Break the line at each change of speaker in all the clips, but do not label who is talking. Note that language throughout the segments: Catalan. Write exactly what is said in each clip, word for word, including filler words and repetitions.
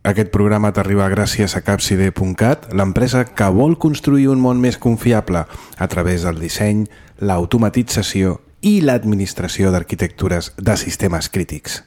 Aquest programa t'arriba gràcies a capside punt cat, l'empresa que vol construir un món més confiable a través del disseny, l'automatització i l'administració d'arquitectures de sistemes crítics.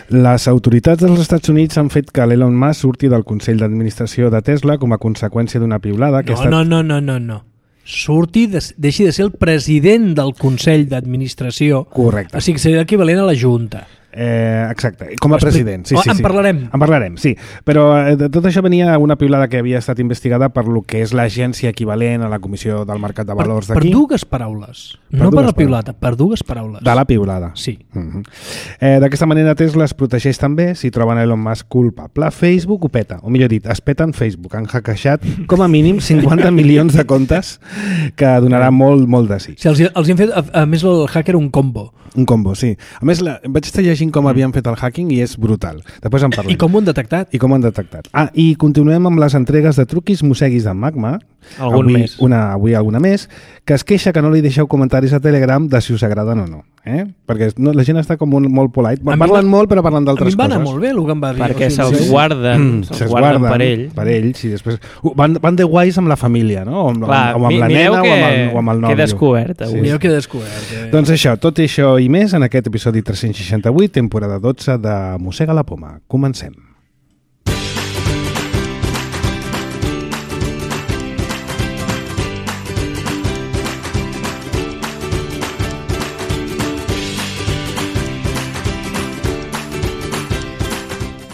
Les autoritats dels Estats Units han fet que l'Elon Musk surti del Consell d'Administració de Tesla com a conseqüència d'una piulada que
no,
ha estat...
No, no, no, no, no. Surti, de, deixi de ser el president del Consell d'Administració.
Correcte.
O sigui, seria equivalent a la Junta.
Eh, exacte, com a president. Sí,
oh,
sí,
en
sí.
parlarem.
En parlarem, sí. Però eh, de tot això venia una piulada que havia estat investigada per lo que és l'agència equivalent a la Comissió del Mercat de Valors d'aquí.
Per dues paraules.
Per
no
dues
per la piulada, per dues paraules.
De la piulada.
Sí.
Uh-huh. eh, D'aquesta manera Tesla es protegeix també si troben Elon Musk culpable. Facebook ho peta, o millor dit, es peten Facebook. Han hackejat com a mínim cinquanta milions de comptes que donarà molt, molt de sí.
Sí, els, els han fet, a, a més, el hacker un combo.
Un combo, sí. A més, la, vaig estar llegint com havien fet el hacking i és brutal. Després en parlem.
I com ho han detectat.
I com ho han detectat. Ah, i continuem amb les entregues de truquis mosseguis de Magma.
Algun
avui,
més.
Una, avui alguna més, que es queixa que no li deixeu comentaris a Telegram de si us agraden o no. Eh? Perquè no, la gent està com un, molt polite. Parlen
va,
molt, però parlen d'altres coses.
A mi em va anar molt bé el que em va dir.
Perquè
o sigui,
se'ls
sí.
guarden, mm, se'ls
se'ls
guarden,
guarden
per ell.
Per ells, i després... Uh, van, van de guais amb la família, no? O amb,
Clar,
o amb la nena
que,
o amb el, o amb el nòvio.
que he descobert avui.
Sí.
Mireu que he descobert. Eh?
Doncs això, tot això i més en aquest episodi tres-cents seixanta-vuit, temporada dotze de Mossega la Poma. Comencem.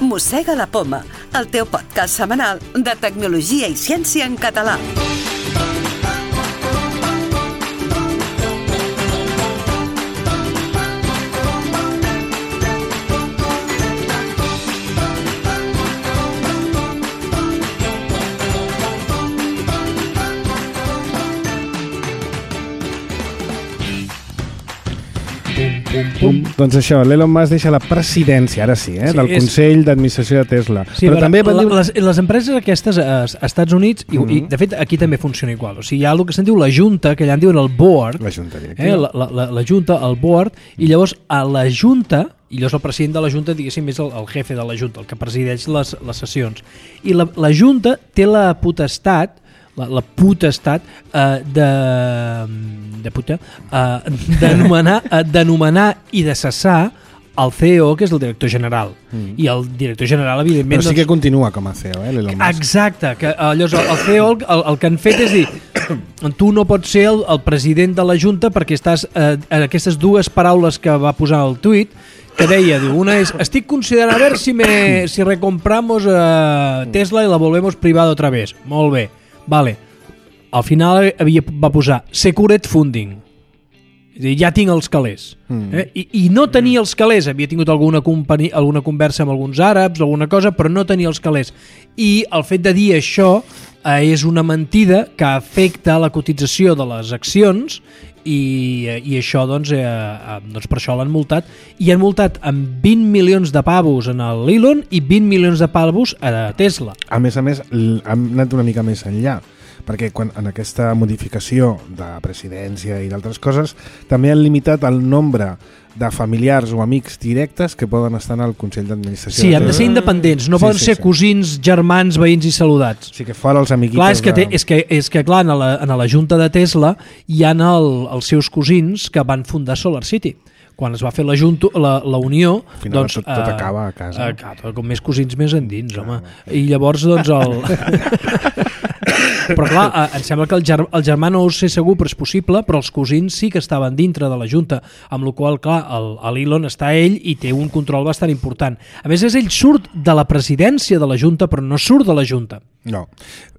Mossega la Poma, el teu podcast setmanal de tecnologia i ciència en català.
Pum, pum. Doncs això, l'Elon Musk deixa la presidència, ara sí, eh,
Sí,
del
és-
Consell d'Administració de Tesla.
Sí,
però també van
la,
dir...
les, les empreses aquestes als Estats Units, i,
Mhm.
i de fet aquí també funciona igual, o sigui, hi ha el que se'n diu la Junta, que allà en diuen el board,
La Junta directiva.
eh, la, la, la, la Junta, el board, i llavors a la Junta, i llavors el president de la Junta, diguéssim, és el, el jefe de la Junta, el que presideix les, les sessions. I la, la Junta té la potestat, la, la potestat eh, de, de puta, eh, d'anomenar eh, d'anomenar i de cessar el C E O, que és el director general. Mm. I el director general, evidentment...
Però sí
doncs,
que continua com a C E O, eh, l'Elon Musk.
exacte, que eh, llavors el, el C E O el, el que han fet és dir tu no pots ser el, el president de la Junta perquè estàs eh, en aquestes dues paraules que va posar al tuit que deia, diu, una és estic considerant a ver si, me, si recompramos eh, Tesla i la volvemos privada otra vez. Molt bé, vale. Al final havia, va posar Secured Funding. És a dir, ja tinc els calés. Mm. Eh? I, I no tenia els calés. Havia tingut alguna, companyia, alguna conversa amb alguns àrabs, alguna cosa, però no tenia els calés. I el fet de dir això eh, és una mentida que afecta la cotització de les accions i, i això, doncs, eh, eh, doncs per això l'han multat. I han multat amb vint milions de pavos en l'Elon i vint milions de pavos a Tesla.
A més a més, l- han anat una mica més enllà, perquè quan en aquesta modificació de presidència i d'altres coses també han limitat el nombre de familiars o amics directes que poden estar en el Consell d'Administració.
Sí, han de ser independents, no
Sí,
poden
sí,
ser
sí.
cosins, germans, veïns i saludats.
Sí, que fora els amiguitos...
Clar, és que, té,
de...
és que, és que clar, en la, en la junta de Tesla hi ha el, els seus cosins que van fundar SolarCity. Quan es va fer la, junto, la, la unió...
Al final
doncs,
tot, tot
eh,
acaba a casa.
Eh, clar, com més cosins més endins, home. I llavors, doncs, el... Però clar, eh, em sembla que el, ger el germà no ho sé segur, però és possible, però els cosins sí que estaven dintre de la Junta, amb la qual clar, l'Elon està ell i té un control bastant important. A més, és ell surt de la presidència de la Junta, però no surt de la Junta.
No.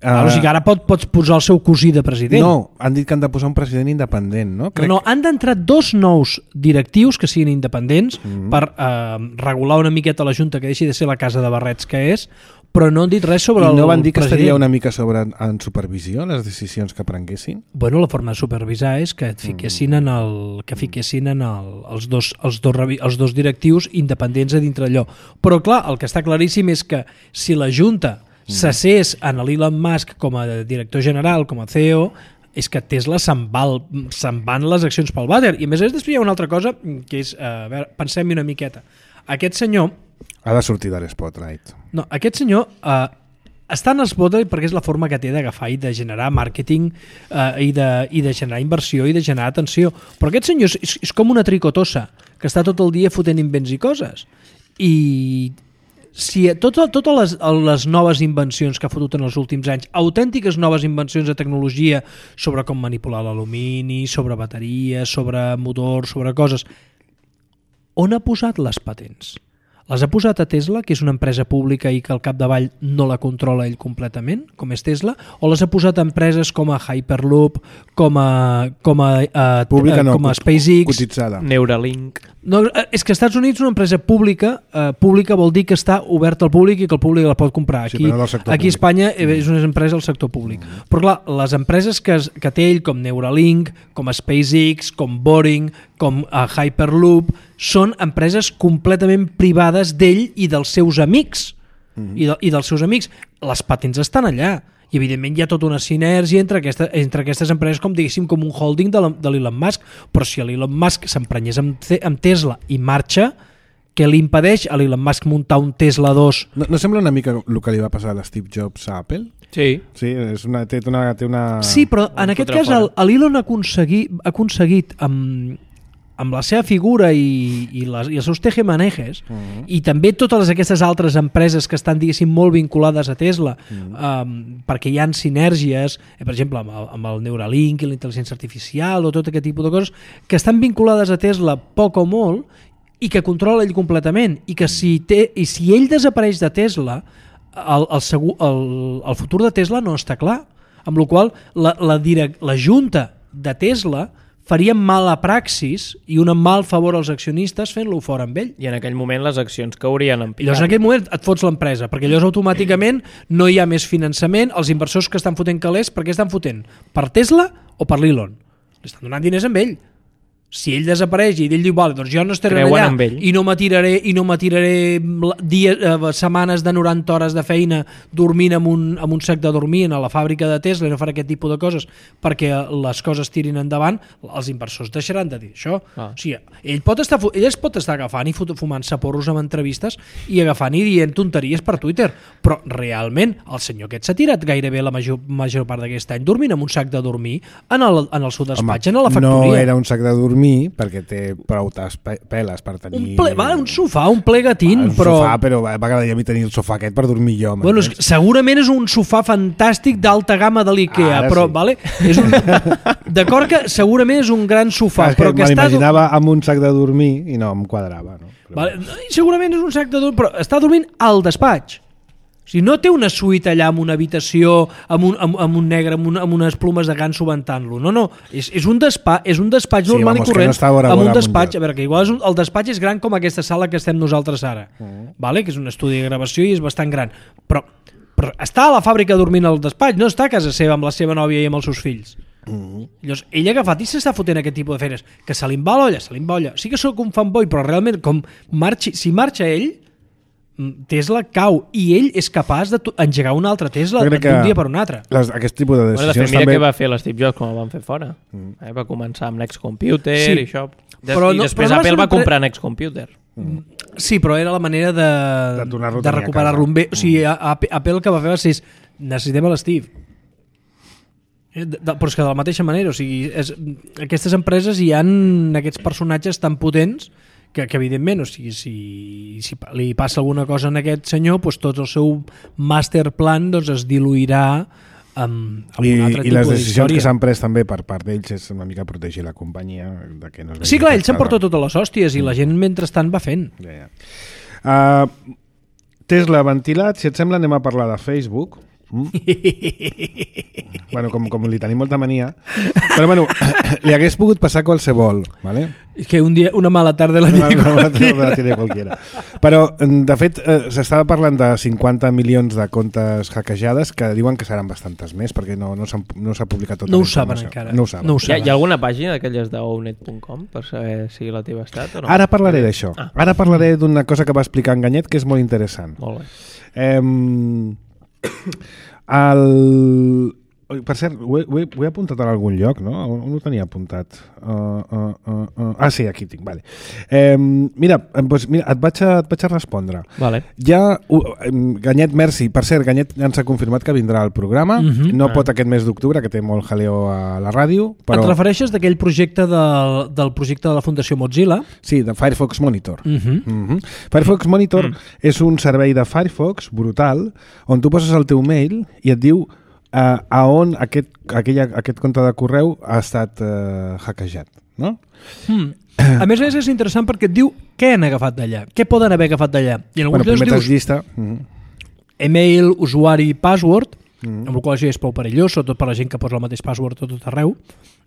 Uh, o sigui, ara pot, pots posar el seu cosí de president.
No, han dit que han de posar un president independent, no? Crec...
No, no, han d'entrar dos nous directius que siguin independents mm. per uh, regular una miqueta la Junta, que deixi de ser la casa de barrets que és, però no han dit res sobre
I
el
no van dir que
president.
estaria una mica sobre en supervisió les decisions que prenguessin?
Bueno, la forma de supervisar és que et fiquessin en el, que fiquessin en el, els, dos, els, dos, els dos directius independents a dintre allò. Però clar, el que està claríssim és que si la Junta s'assés en l'Elon Musk com a director general, com a C E O, és que Tesla se'n va, se'n van les accions pel vàter. I a més a més després hi ha una altra cosa que és, a veure, pensem-hi una miqueta. Aquest senyor
ha de sortir de l'Spotlight.
No, aquest senyor eh, està en l'Spotlight perquè és la forma que té d'agafar i de generar màrqueting eh, i, de, i de generar inversió i de generar atenció. Però aquest senyor és, és com una tricotosa que està tot el dia fotent invents i coses. I si totes tot les, les noves invencions que ha fotut en els últims anys, autèntiques noves invencions de tecnologia sobre com manipular l'alumini, sobre bateries, sobre motors, sobre coses, on ha posat les patents? Les ha posat a Tesla, que és una empresa pública i que al capdavall no la controla ell completament, com és Tesla, o les ha posat a empreses com a Hyperloop, com a, com a, uh,
pública no,
com a SpaceX,
cotitzada.
Neuralink.
No, és que als Estats Units una empresa pública, uh, pública vol dir que està oberta al públic i que el públic la pot comprar. Aquí,
sí, no aquí
a Espanya és una empresa del sector públic. Mm. Però clar, les empreses que, que té ell, com Neuralink, com SpaceX, com Boring, com uh, Hyperloop, són empreses completament privades d'ell i dels seus amics. Mm. I, de, I dels seus amics. Les patents estan allà. I evidentment hi ha tota una sinergia entre, aquesta, entre aquestes empreses, com diguéssim, com un holding de l'Elon Musk, però si l'Elon Musk s'emprenyés amb, amb Tesla i marxa, què li impedeix a l'Elon Musk muntar un Tesla dos?
No, no sembla una mica el que li va passar a l'Steve Jobs a Apple?
Sí.
Sí, és una, té, una, té una...
Sí, però en aquest cas l'Elon ha aconseguit, ha aconseguit amb, amb la seva figura i, i, les, i els seus tejemanejes uh -huh. i també totes aquestes altres empreses que estan, diguéssim, molt vinculades a Tesla, uh -huh. um, perquè hi ha sinergies, eh, per exemple, amb el, amb el Neuralink i la intel·ligència artificial o tot aquest tipus de coses, que estan vinculades a Tesla poc o molt i que controla ell completament i que si, té, i si ell desapareix de Tesla, el, el, segur, el, el futur de Tesla no està clar, amb la qual la, la, direct, la junta de Tesla farien mala praxis i un mal favor als accionistes fent-lo fora amb ell.
I en aquell moment les accions caurien en picat.
Llavors en aquell moment et fots l'empresa, perquè llavors automàticament no hi ha més finançament, els inversors que estan fotent calés, per què estan fotent? Per Tesla o per l'Elon? Li estan donant diners amb ell. Si ell desapareix i ell diu, vale, doncs jo no estaré
Creuen
allà i no m'atiraré i no m'atiraré dies, eh, setmanes de noranta hores de feina dormint amb un, amb un sac de dormir a la fàbrica de Tesla i no faré aquest tipus de coses perquè les coses tirin endavant, els inversors deixaran de dir això. Ah. O sigui, ell, pot estar, ell es pot estar agafant i fumant-se porros amb entrevistes i agafant i dient tonteries per Twitter, però realment el senyor aquest s'ha tirat gairebé la major, major part d'aquest any dormint amb un sac de dormir en el, en el seu despatx, en la factoria.
No era un sac de dormir perquè té prou peles per tenir...
Un, ple, vale, un sofà, un plegatín,
un
però...
Un sofà, però va agradar a mi tenir el sofà aquest per dormir jo.
Bueno, és, segurament és un sofà fantàstic d'alta gamma de l'IKEA,
Ara
però,
sí.
vale? És un... D'acord que segurament és un gran sofà,
ah,
però que,
que
està...
m'imaginava amb un sac de dormir i no em quadrava. No? Però...
Vale, segurament és un sac de dormir, però està dormint al despatx. O sigui, no té una suite allà amb una habitació, amb un, amb, amb un negre, amb, un, amb unes plumes de ganso ventant-lo. No, no, és, és un despatx, és un despatx
sí,
normal
vamos,
i corrent,
no vora,
amb un
vora,
despatx, a veure, que igual és un, el despatx és gran com aquesta sala que estem nosaltres ara, uh-huh. vale? Que és un estudi de gravació i és bastant gran, però, però està a la fàbrica dormint al despatx, no està a casa seva amb la seva nòvia i amb els seus fills. Uh-huh. Llavors, ell ha agafat i s'està fotent aquest tipus de feines, que se li va l'olla, se li va l'olla. Sí que sóc un fanboy, però realment, com marxi, si marxa ell, Tesla cau i ell és capaç d'engegar una altra Tesla d'un dia per un altre.
Les, aquest tipus de decisions
bueno, de fet, mira
també...
què va fer l'Steve Jobs quan el van fer fora. Mm. Eh, va començar amb Next Computer sí. i això. Des,
però no,
I després
però no
Apple va,
va
comprar Next Computer.
Mm. Sí, però era la manera de,
de,
de recuperar-lo bé. O sigui, Apple el que va fer va ser necessitem l'Steve. De, de, però és que de la mateixa manera, o sigui, és, aquestes empreses hi han aquests personatges tan potents que, que evidentment, o sigui, si, si li passa alguna cosa en aquest senyor, doncs tot el seu master plan doncs, es diluirà amb, amb
I,
un altre
i
tipus
les decisions
d'història.
que s'han pres també per part d'ells és una mica protegir la companyia de que no es
sí, clar, ell s'emporta totes les hòsties i la gent mentrestant va fent.
Ja, ja. Uh, Tesla ventilat, si et sembla anem a parlar de Facebook. Mm? bueno, com, com li tenim molta mania. Però bueno, li hagués pogut passar qualsevol, ¿vale?
És que un dia, una mala tarda la
Una,
tiene
una mala
qualquiera.
tarda la tiene qualquiera. Però, de fet, eh, s'estava parlant de cinquanta milions de comptes hackejades que diuen que seran bastantes més, perquè no, no s'ha no s'ha publicat tota
No
la
ho saben
informació.
encara.
No ho saben.
No ho
Hi ha,
saben.
hi ha alguna pàgina d'aquelles de ownet punt com per saber si la teva ha estat o no?
Ara parlaré d'això.
Ah.
Ara parlaré d'una cosa que va explicar en Ganyet que és molt interessant.
Molt bé.
Eh, el... Per cert, ho he, ho, he, ho he apuntat en algun lloc, no? On ho tenia apuntat? Uh, uh, uh, uh. Ah, sí, aquí tinc, vale. Eh, mira, doncs, mira et, vaig a, et vaig a respondre.
Vale.
Ja, uh, Ganyet, merci. Per cert, Ganyet ja ens ha confirmat que vindrà al programa.
Mhm.
No
Ah.
pot aquest mes d'octubre, que té molt jaleo a la ràdio, però...
Et refereixes d'aquell projecte del, del projecte de la Fundació Mozilla?
Sí, de Firefox Monitor.
Uh -huh.
Mm-hmm. Firefox Monitor
Mm.
és un servei de Firefox brutal on tu poses el teu mail i et diu uh, a on aquest, aquella, aquest compte de correu ha estat uh, hackejat, no?
Mm. A més a més és interessant perquè et diu què han agafat d'allà, què poden haver agafat d'allà. I en
Bueno,
alguns
primer
llocs
tens
dius
llista. Mm-hmm.
email, usuari, password,
Mm.
amb el qual això és prou perillós, sobretot per la gent que posa el mateix password a tot arreu.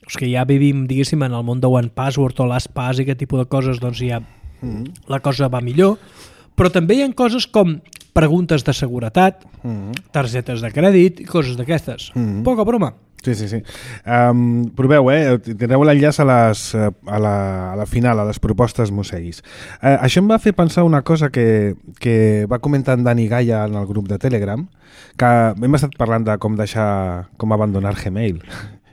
Els que ja vivim, diguéssim, en el món de One Password o LastPass i aquest tipus de coses, doncs ja
Mm-hmm.
la cosa va millor. Però també hi ha coses com preguntes de seguretat,
Mm-hmm.
targetes de crèdit i coses d'aquestes.
Mhm.
Poca broma.
Sí, sí, sí. Um, proveu, eh? Tindreu l'enllaç a, les, a, la, a la final, a les propostes Mosseguis. Uh, això em va fer pensar una cosa que, que va comentar en Dani Gaia en el grup de Telegram, que hem estat parlant de com deixar, com abandonar Gmail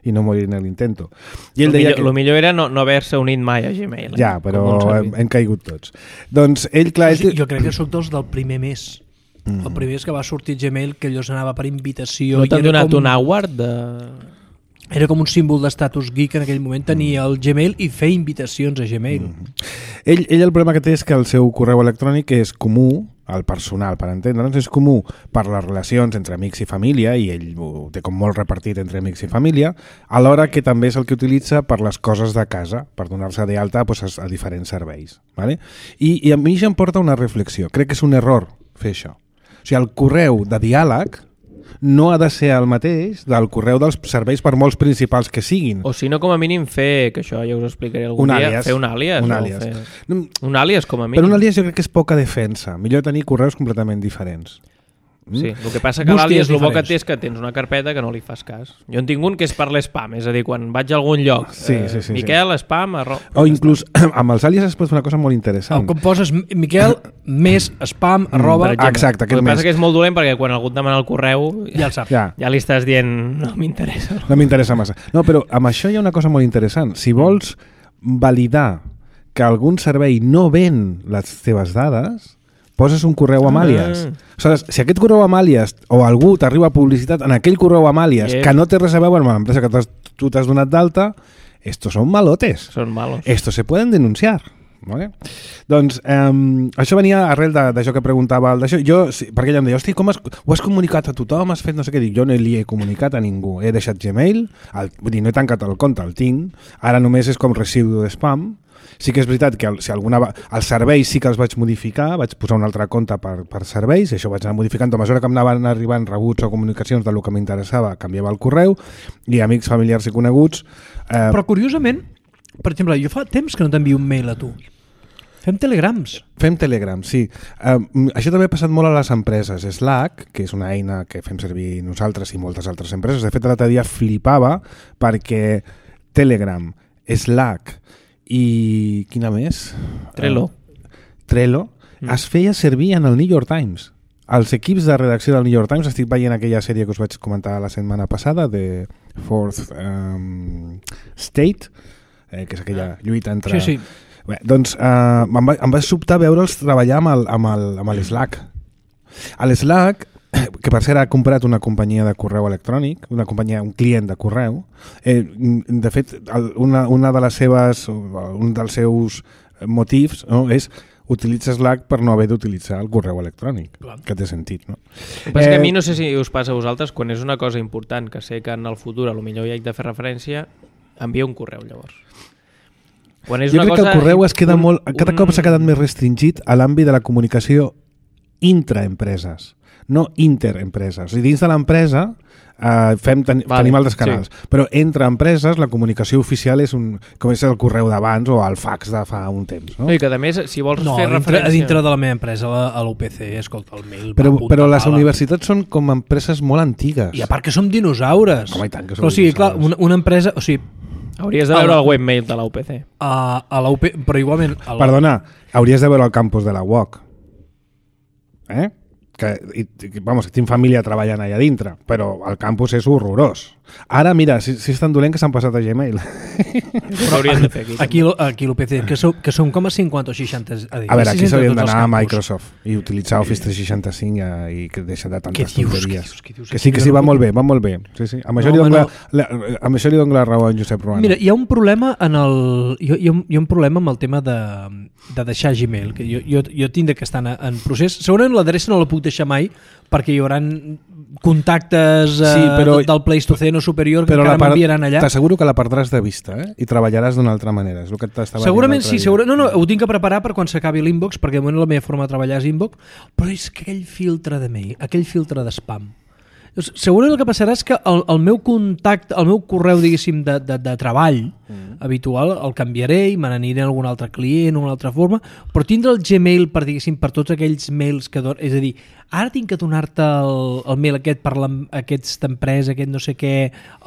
i no morir en l'intento. I ell
El
deia
millor,
que...
lo millor era no, no haver-se unit mai a Gmail. Eh?
Ja,
Com
però
un
hem,
servei.
hem caigut tots. Doncs ell, clar...
O sigui,
ell...
jo crec que sóc dels del primer mes.
Mm.
El primer és que va sortir Gmail, que allò s'anava per invitació.
No
i
t'han
era
donat
com-
un award de...
Era com un símbol d'estatus geek en aquell moment, tenir el Gmail i fer invitacions a Gmail.
Mm. Ell, ell el problema que té és que el seu correu electrònic és comú, el personal, per entendre'ns, és comú per les relacions entre amics i família, i ell ho té com molt repartit entre amics i família, alhora que també és el que utilitza per les coses de casa, per donar-se d'alta doncs, a, a diferents serveis. Vale? I, I a mi ja em porta una reflexió. Crec que és un error fer això. O sigui, el correu de diàleg no ha de ser el mateix del correu dels serveis per molts principals que siguin.
O si no, com a mínim fer, que això ja us explicaré algun
Un
dia,
àlies.
fer un àlies.
Un
o
àlies.
Fer...
No,
Un àlies, com a mínim.
però un àlies jo crec que és poca defensa. Millor tenir correus completament diferents.
Sí, el que passa que
Bústies
l'àlies el bo que
diferents.
té és que tens una carpeta que no li fas cas. Jo en tinc un que és per l'espam, és a dir, quan vaig a algun lloc,
Sí,
eh,
sí, sí,
Miquel, spam, arro...
O inclús amb els àlies es pot fer una cosa molt interessant.
Com poses Miquel més spam arroba...
per exemple.
Exacte,
El
aquest
que
mes.
passa que és molt dolent perquè quan algú et demana el correu
Ja el saps.
Ja,
ja li estàs dient no m'interessa.
no m'interessa massa. No, però amb això hi ha una cosa molt interessant. Si vols validar que algun servei no ven les teves dades, poses un correu amb
Ah.
àlies. Aleshores, si aquest correu amb àlies o algú t'arriba publicitat en aquell correu amb àlies
Yep.
que no té res a veure amb l'empresa que t'has- tu t'has donat d'alta, estos són malotes.
Són malos.
Estos se pueden denunciar. Vale? Doncs eh, això venia arrel de- d'això que preguntava el d'això. Jo, sí, perquè ella em deia, hosti, com has, ho has comunicat a tothom, has fet no sé què, dic, jo no li he comunicat a ningú, he deixat Gmail, el, vull dir, no he tancat el compte, el tinc, ara només és com residu de spam. Sí que és veritat que el, si alguna, va- els serveis sí que els vaig modificar, vaig posar un altre compte per, per serveis, i això vaig anar modificant a mesura que em anaven arribant rebuts o comunicacions del que m'interessava, canviava el correu, i amics, familiars i coneguts... Eh,
Però curiosament, per exemple, jo fa temps que no t'envio un mail a tu. Fem telegrams.
Fem Telegram, sí. Um, això també ha passat molt a les empreses. Slack, que és una eina que fem servir nosaltres i moltes altres empreses, de fet l'altre dia flipava perquè Telegram, Slack i quina més?
Trello.
Uh, Trello mm. es feia servir en el New York Times. Els equips de redacció del New York Times, estic veient aquella sèrie que us vaig comentar la setmana passada de Fourth um, State, eh, que és aquella lluita entre...
Sí, sí.
Bé, doncs eh, em, va, em va sobtar veure'ls treballar amb el, amb el, amb el Slack. A l'Slack, que per cert ha comprat una companyia de correu electrònic, una companyia, un client de correu, eh, de fet, el, una, una de les seves, un dels seus motius, no, és utilitza Slack per no haver d'utilitzar el correu electrònic,
Clar.
que té sentit, no?
El que passa és que a
Eh,
mi no sé si us passa a vosaltres, quan és una cosa important que sé que en el futur a lo millor hi haig de fer referència, envia un correu llavors. Quan és
Jo
una
crec
cosa,
que el correu es queda
un,
molt, cada
un...
cop s'ha quedat més restringit a l'àmbit de la comunicació intraempreses. no interempreses. O sigui, dins de l'empresa Uh, fem, ten,
vale,
tenim altres canals, sí. Però entre empreses la comunicació oficial és un, com és el correu d'abans o el fax de fa un temps, no?
No, i que a més, si vols
no,
fer
dintre,
referència...
a dintre de la meva empresa, a l'U P C, escolta, el mail
però,
va
però les
pala.
universitats són com empreses molt antigues.
I a part que som dinosaures.
Home, i tant que som
o sigui, clar,
dinosaures.
una, una empresa... O sigui,
hauries de veure el webmail de la U P C.
A, a la U P, però igualment... A la...
Perdona, hauries de veure el campus de la U O C. Eh? Que, i, vamos, tinc família treballant allà dintre, però el campus és horrorós. Ara, mira, si, si és tan dolent que s'han passat a Gmail.
Però hauries de fer aquí.
Aquí, aquí l'U P C, que, som, que som com a cinquanta o seixanta... A, dir,
A veure, aquí s'haurien d'anar a
campus.
Microsoft i utilitzar Office tres seixanta-cinc i que deixa de tantes
Què dius,
tonteries.
què dius, què dius?
Que sí, que sí, va molt bé, va molt bé. Sí, sí. Amb, això
No,
li dono
home,
la, la, amb això li dono la raó a en Josep Ruano.
Mira, hi ha un problema en el... Hi ha, hi ha, un, hi ha un problema amb el tema de, de deixar Gmail, que jo, jo, jo tinc que estar en, en procés. Segurament l'adreça no la puc deixar mai perquè hi haurà contactes eh,
Sí, però-
del Pleistoceno superior que
Però
encara
la part-
m'enviaran allà.
T'asseguro que la perdràs de vista, eh? I treballaràs d'una altra manera. És el que t'estava
Segurament
dient
sí,
l'altre
segura...
dia.
no, no, ho tinc que preparar per quan s'acabi l'inbox, perquè de moment la meva forma de treballar és inbox, però és que aquell filtre de mail, aquell filtre de spam. Llavors, segurament el que passarà és que el, el meu contacte, el meu correu, diguéssim, de, de, de treball mm. habitual, el canviaré i me n'aniré a algun altre client, una altra forma, però tindre el Gmail per, diguéssim, per tots aquells mails que donen, és a dir, ara tinc que donar-te el, el mail aquest per la, aquesta empresa, aquest no sé què,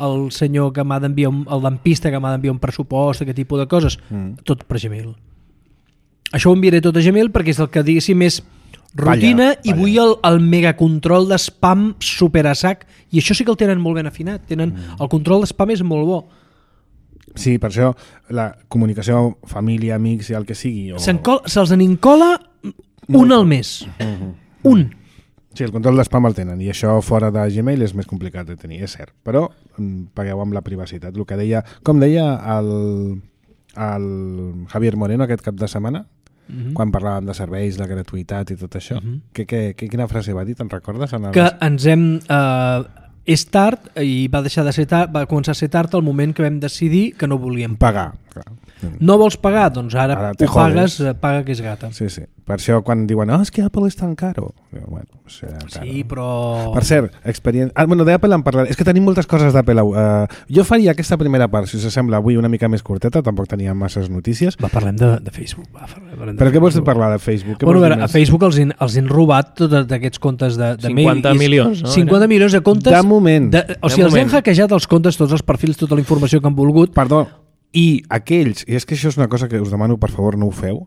el senyor que m'ha d'enviar, un- el dentista que m'ha d'enviar un pressupost, aquest tipus de coses, mm. tot per Gmail. Això ho enviaré tot a Gmail perquè és el que, diguéssim, és rutina
Palla,
i
palla.
vull el, el megacontrol de spam super a sac, i això sí que el tenen molt ben afinat, tenen, mm. el control de spam és molt bo.
Sí, per això la comunicació, família, amics i el que sigui. O...
Se'n col- Se'ls en incola un al mes. Un.
Sí, el control d'espam el tenen i això fora de Gmail és més complicat de tenir, és cert. Però mm, pagueu amb la privacitat. El que deia, com deia el, el Javier Moreno aquest cap de setmana,
Mm-hmm.
quan parlàvem de serveis, la gratuïtat i tot això,
Mhm.
que, que, que, quina frase va dir, te'n recordes? En el...
Que ens hem... Eh, és tard i va deixar de ser tard, va començar a ser tard el moment que vam decidir que no volíem pagar.
pagar. Clar.
No vols pagar? Doncs ara,
Ara
ara
te
ho pagues,
jodes.
eh, paga que és gata.
Sí, sí. Per això quan diuen, oh, és que Apple és tan caro. Diu, bueno, serà caro.
Sí, però...
Per cert, experiència... Ah, bueno, d'Apple en parlaré. És que tenim moltes coses d'Apple. Uh, jo faria aquesta primera part, si us sembla, avui una mica més curteta, tampoc teníem masses notícies.
Va, parlem de, de Facebook. Va, parlem de
Però què vols
Facebook.
parlar de Facebook? Què
Bueno, a,
vols
veure,
dir
a
més?
Facebook els han, els han robat tots aquests comptes de, de
cinquanta
mail. I-
milions, no?
cinquanta milions de comptes.
De moment.
De, o sigui,
De
els
moment.
han hackejat els comptes, tots els perfils, tota la informació que han volgut.
Perdó, i aquells, i és que això és una cosa que us demano, per favor, no ho feu,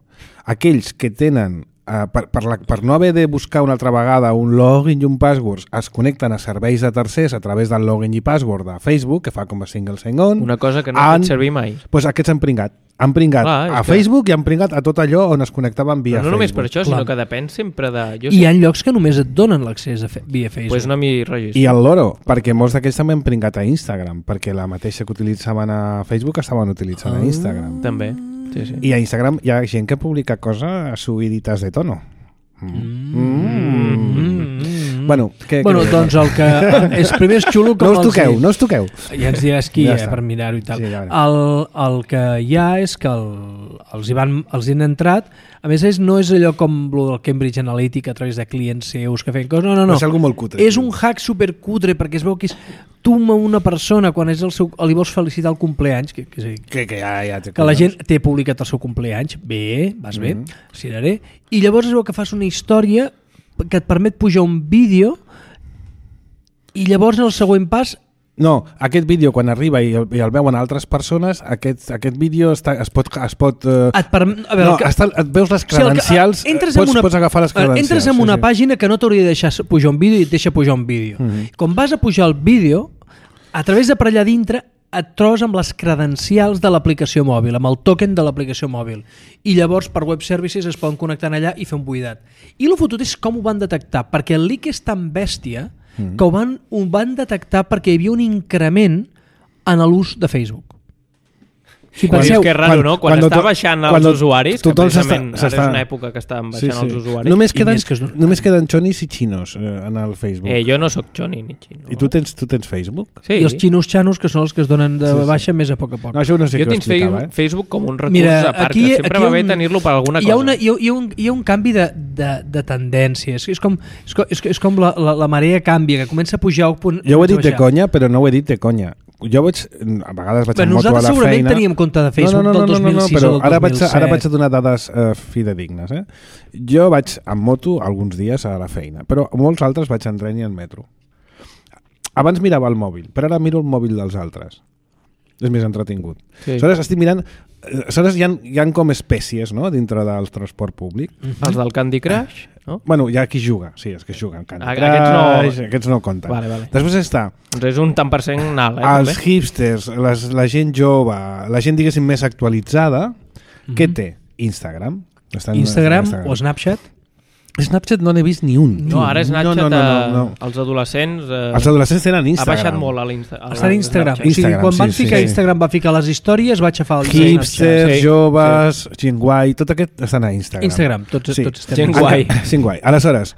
aquells que tenen, uh, per, per, la, per no haver de buscar una altra vegada un login i un password, es connecten a serveis de tercers a través del login i password de Facebook, que fa com a single sign-on.
Una cosa que no
han-
han... fet servir mai.
Pues aquests han pringat. Han pringat
Clar, és
a
que-
Facebook i han pringat a tot allò on es connectaven via
Però no només
Facebook.
per això,
Clar.
sinó que depèn sempre de... Jo
I hi ha llocs que només et donen l'accés a fe, via Facebook.
pues no m'hi registro.
I el loro, perquè molts d'aquells també han pringat a Instagram, perquè la mateixa que utilitzaven a Facebook estaven utilitzant a Instagram.
També, sí, sí.
I a Instagram hi ha gent que publica coses subiditas de tono. Mm.
Mm.
Bueno, què,
Bueno,
què
doncs el que és primer és xulo com
no us
els
toqueu,
hi-
no us toqueu.
ja ens diràs qui
Ja
ja
està.
per mirar-ho i tal.
Sí, ja
el, el que hi ha és que el, els, hi van, els hi han entrat, a més és, no és allò com el del Cambridge Analytica a través de clients seus que feien coses, no, no, no.
Va ser algo molt cutre.
És un hack supercutre perquè es veu que és tu a una persona quan és el seu, li vols felicitar el compleanys, que, que,
Que, que ja, ja té
que la
collons.
gent té publicat el seu compleanys, bé, vas bé,
Mhm.
ciraré, i llavors es veu que fas una història que et permet pujar un vídeo i llavors en el següent pas
No, aquest vídeo quan arriba i el, i el veuen altres persones, aquest, aquest vídeo està, es pot... Es pot eh...
et permet... A veure,
no,
que...
està, et veus les
O sigui, el que-
credencials,
entres
pots,
en una-
pots agafar les credencials.
Entres en
sí,
una
sí.
pàgina que no t'hauria de deixar pujar un vídeo i et deixa pujar un vídeo.
Mhm.
Com vas a pujar el vídeo, a través de per allà dintre et trobes amb les credencials de l'aplicació mòbil, amb el token de l'aplicació mòbil. I llavors per web services es poden connectar allà i fer un buidat. I el fotut és com ho van detectar, perquè el leak és tan bèstia
Mhm.
que ho van, ho van detectar perquè hi havia un increment en l'ús de Facebook. Si
Quan,
penseu,
és que és raro, no? Quan,
quan
està
to-
baixant els
quan to-
usuaris, que
tothom
precisament
s'està-
ara és
s'està-
una època que estan baixant els usuaris.
Només
I
queden,
més que es-
només queden xonis i xinos eh, en el Facebook.
Eh, jo no sóc xoni ni xino.
I tu tens, tu tens Facebook?
Sí.
I els xinos xanos, que són els que es donen de
Sí, sí.
baixa més a poc a poc.
No, això no sé
Jo
qui ho
tinc Facebook,
explicava, eh?
Facebook com un recurs
Mira,
a part,
aquí-
que sempre
aquí
va bé
un-
tenir-lo per alguna
hi
cosa.
ha, una, hi, ha, hi, ha un, hi ha un canvi de, de, de tendències. És com, és com, és com la, la, la marea canvia, que comença a pujar un punt...
Jo ho he dit de
baixar.
conya, però no ho he dit de conya. Jo vaig, a vegades vaig
Però
en moto a
nosaltres
la
segurament
feina...
teníem compte de Facebook
no, no, no,
del dos mil
no, no,
sis
però
o del
ara
dos mil
vaig,
set.
ara vaig a donar dades uh, fidedignes. Eh? Jo vaig amb moto alguns dies a la feina, però molts altres vaig en tren i en metro. Abans mirava el mòbil, però ara miro el mòbil dels altres. És més entretingut.
Sí.
Aleshores estic mirant... Aleshores hi ha, hi ha com espècies, no?, dintre del transport públic.
Els del Candy Crush, no?
Bueno, hi ha qui juga, sí, és que juguen. Candy
Ah,
Crush,
aquests
aquests
no-
no, aquests no compten.
Vale, vale.
Després està
Doncs és un tant per cent alt, eh?
els
també.
hipsters, les, la gent jove, la gent, diguéssim, més actualitzada, què té? Instagram. Estan,
Instagram
Instagram
o Snapchat?
Snapchat no n'he vist ni un.
No, ara Snapchat,
no, no, no, no, no.
els adolescents... Eh,
Els adolescents tenen
ha
Instagram.
baixat molt a l'Instagram.
Està a Instagram. O sigui,
Instagram,
quan
sí,
van
sí,
ficar
sí.
Instagram va ficar les històries, va aixafar el
Hipsters,
Sí,
joves, gent guai, tot aquest estan a Instagram.
Instagram, tots,
Sí.
tots estem
Gent
a
guai.
Instagram.
Gent guai. Aleshores,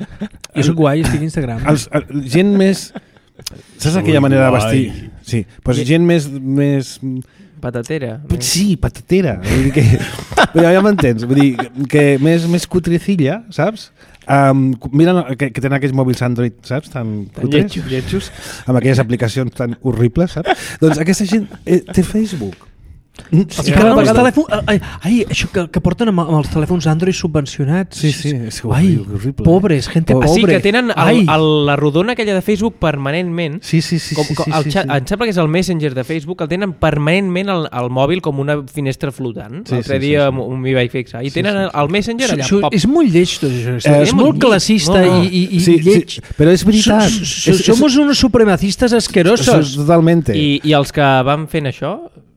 Jo soc guai, estic a Instagram.
els, el, gent més... Saps aquella manera de vestir? Sí, doncs gent més... més
Patatera.
Sí, patatera. Vull dir que, vull dir, ja m'entens. Vull dir que més, més cutrecilla, saps? Um, mira que, que tenen aquells mòbils Android, saps? Tan cutres,
lletjos.
lletjos, amb aquelles aplicacions tan horribles, saps? Doncs aquesta gent eh, té Facebook.
I
Sí,
cada
no,
vegada...
no.
telèfon... Ai, ai, això que, que porten amb, amb els telèfons Android subvencionats.
Sí, sí, és
Ai,
horrible, horrible.
pobres, gente
Ah,
Ah,
pobre.
sí, que tenen el,
Ai.
el, la rodona aquella de Facebook permanentment.
Sí, sí, sí.
Com,
sí,
com,
sí,
el
sí,
xat,
sí.
Em sembla que és el Messenger de Facebook, el tenen permanentment al, al mòbil com una finestra flotant.
Sí,
L'altre
sí,
dia
sí, sí.
m'hi vaig fixar. I
Sí,
tenen
sí, sí.
el Messenger allà.
Això,
pop.
és molt lleig tot això.
Eh,
és
és
molt
molt
classista
lleig. No, no.
i, i, i
Sí,
lleig.
sí, però és veritat.
So- so-
És- és-
Somos unos supremacistas
Eso
asquerosos.
és totalmente.
I, I els que van fent això,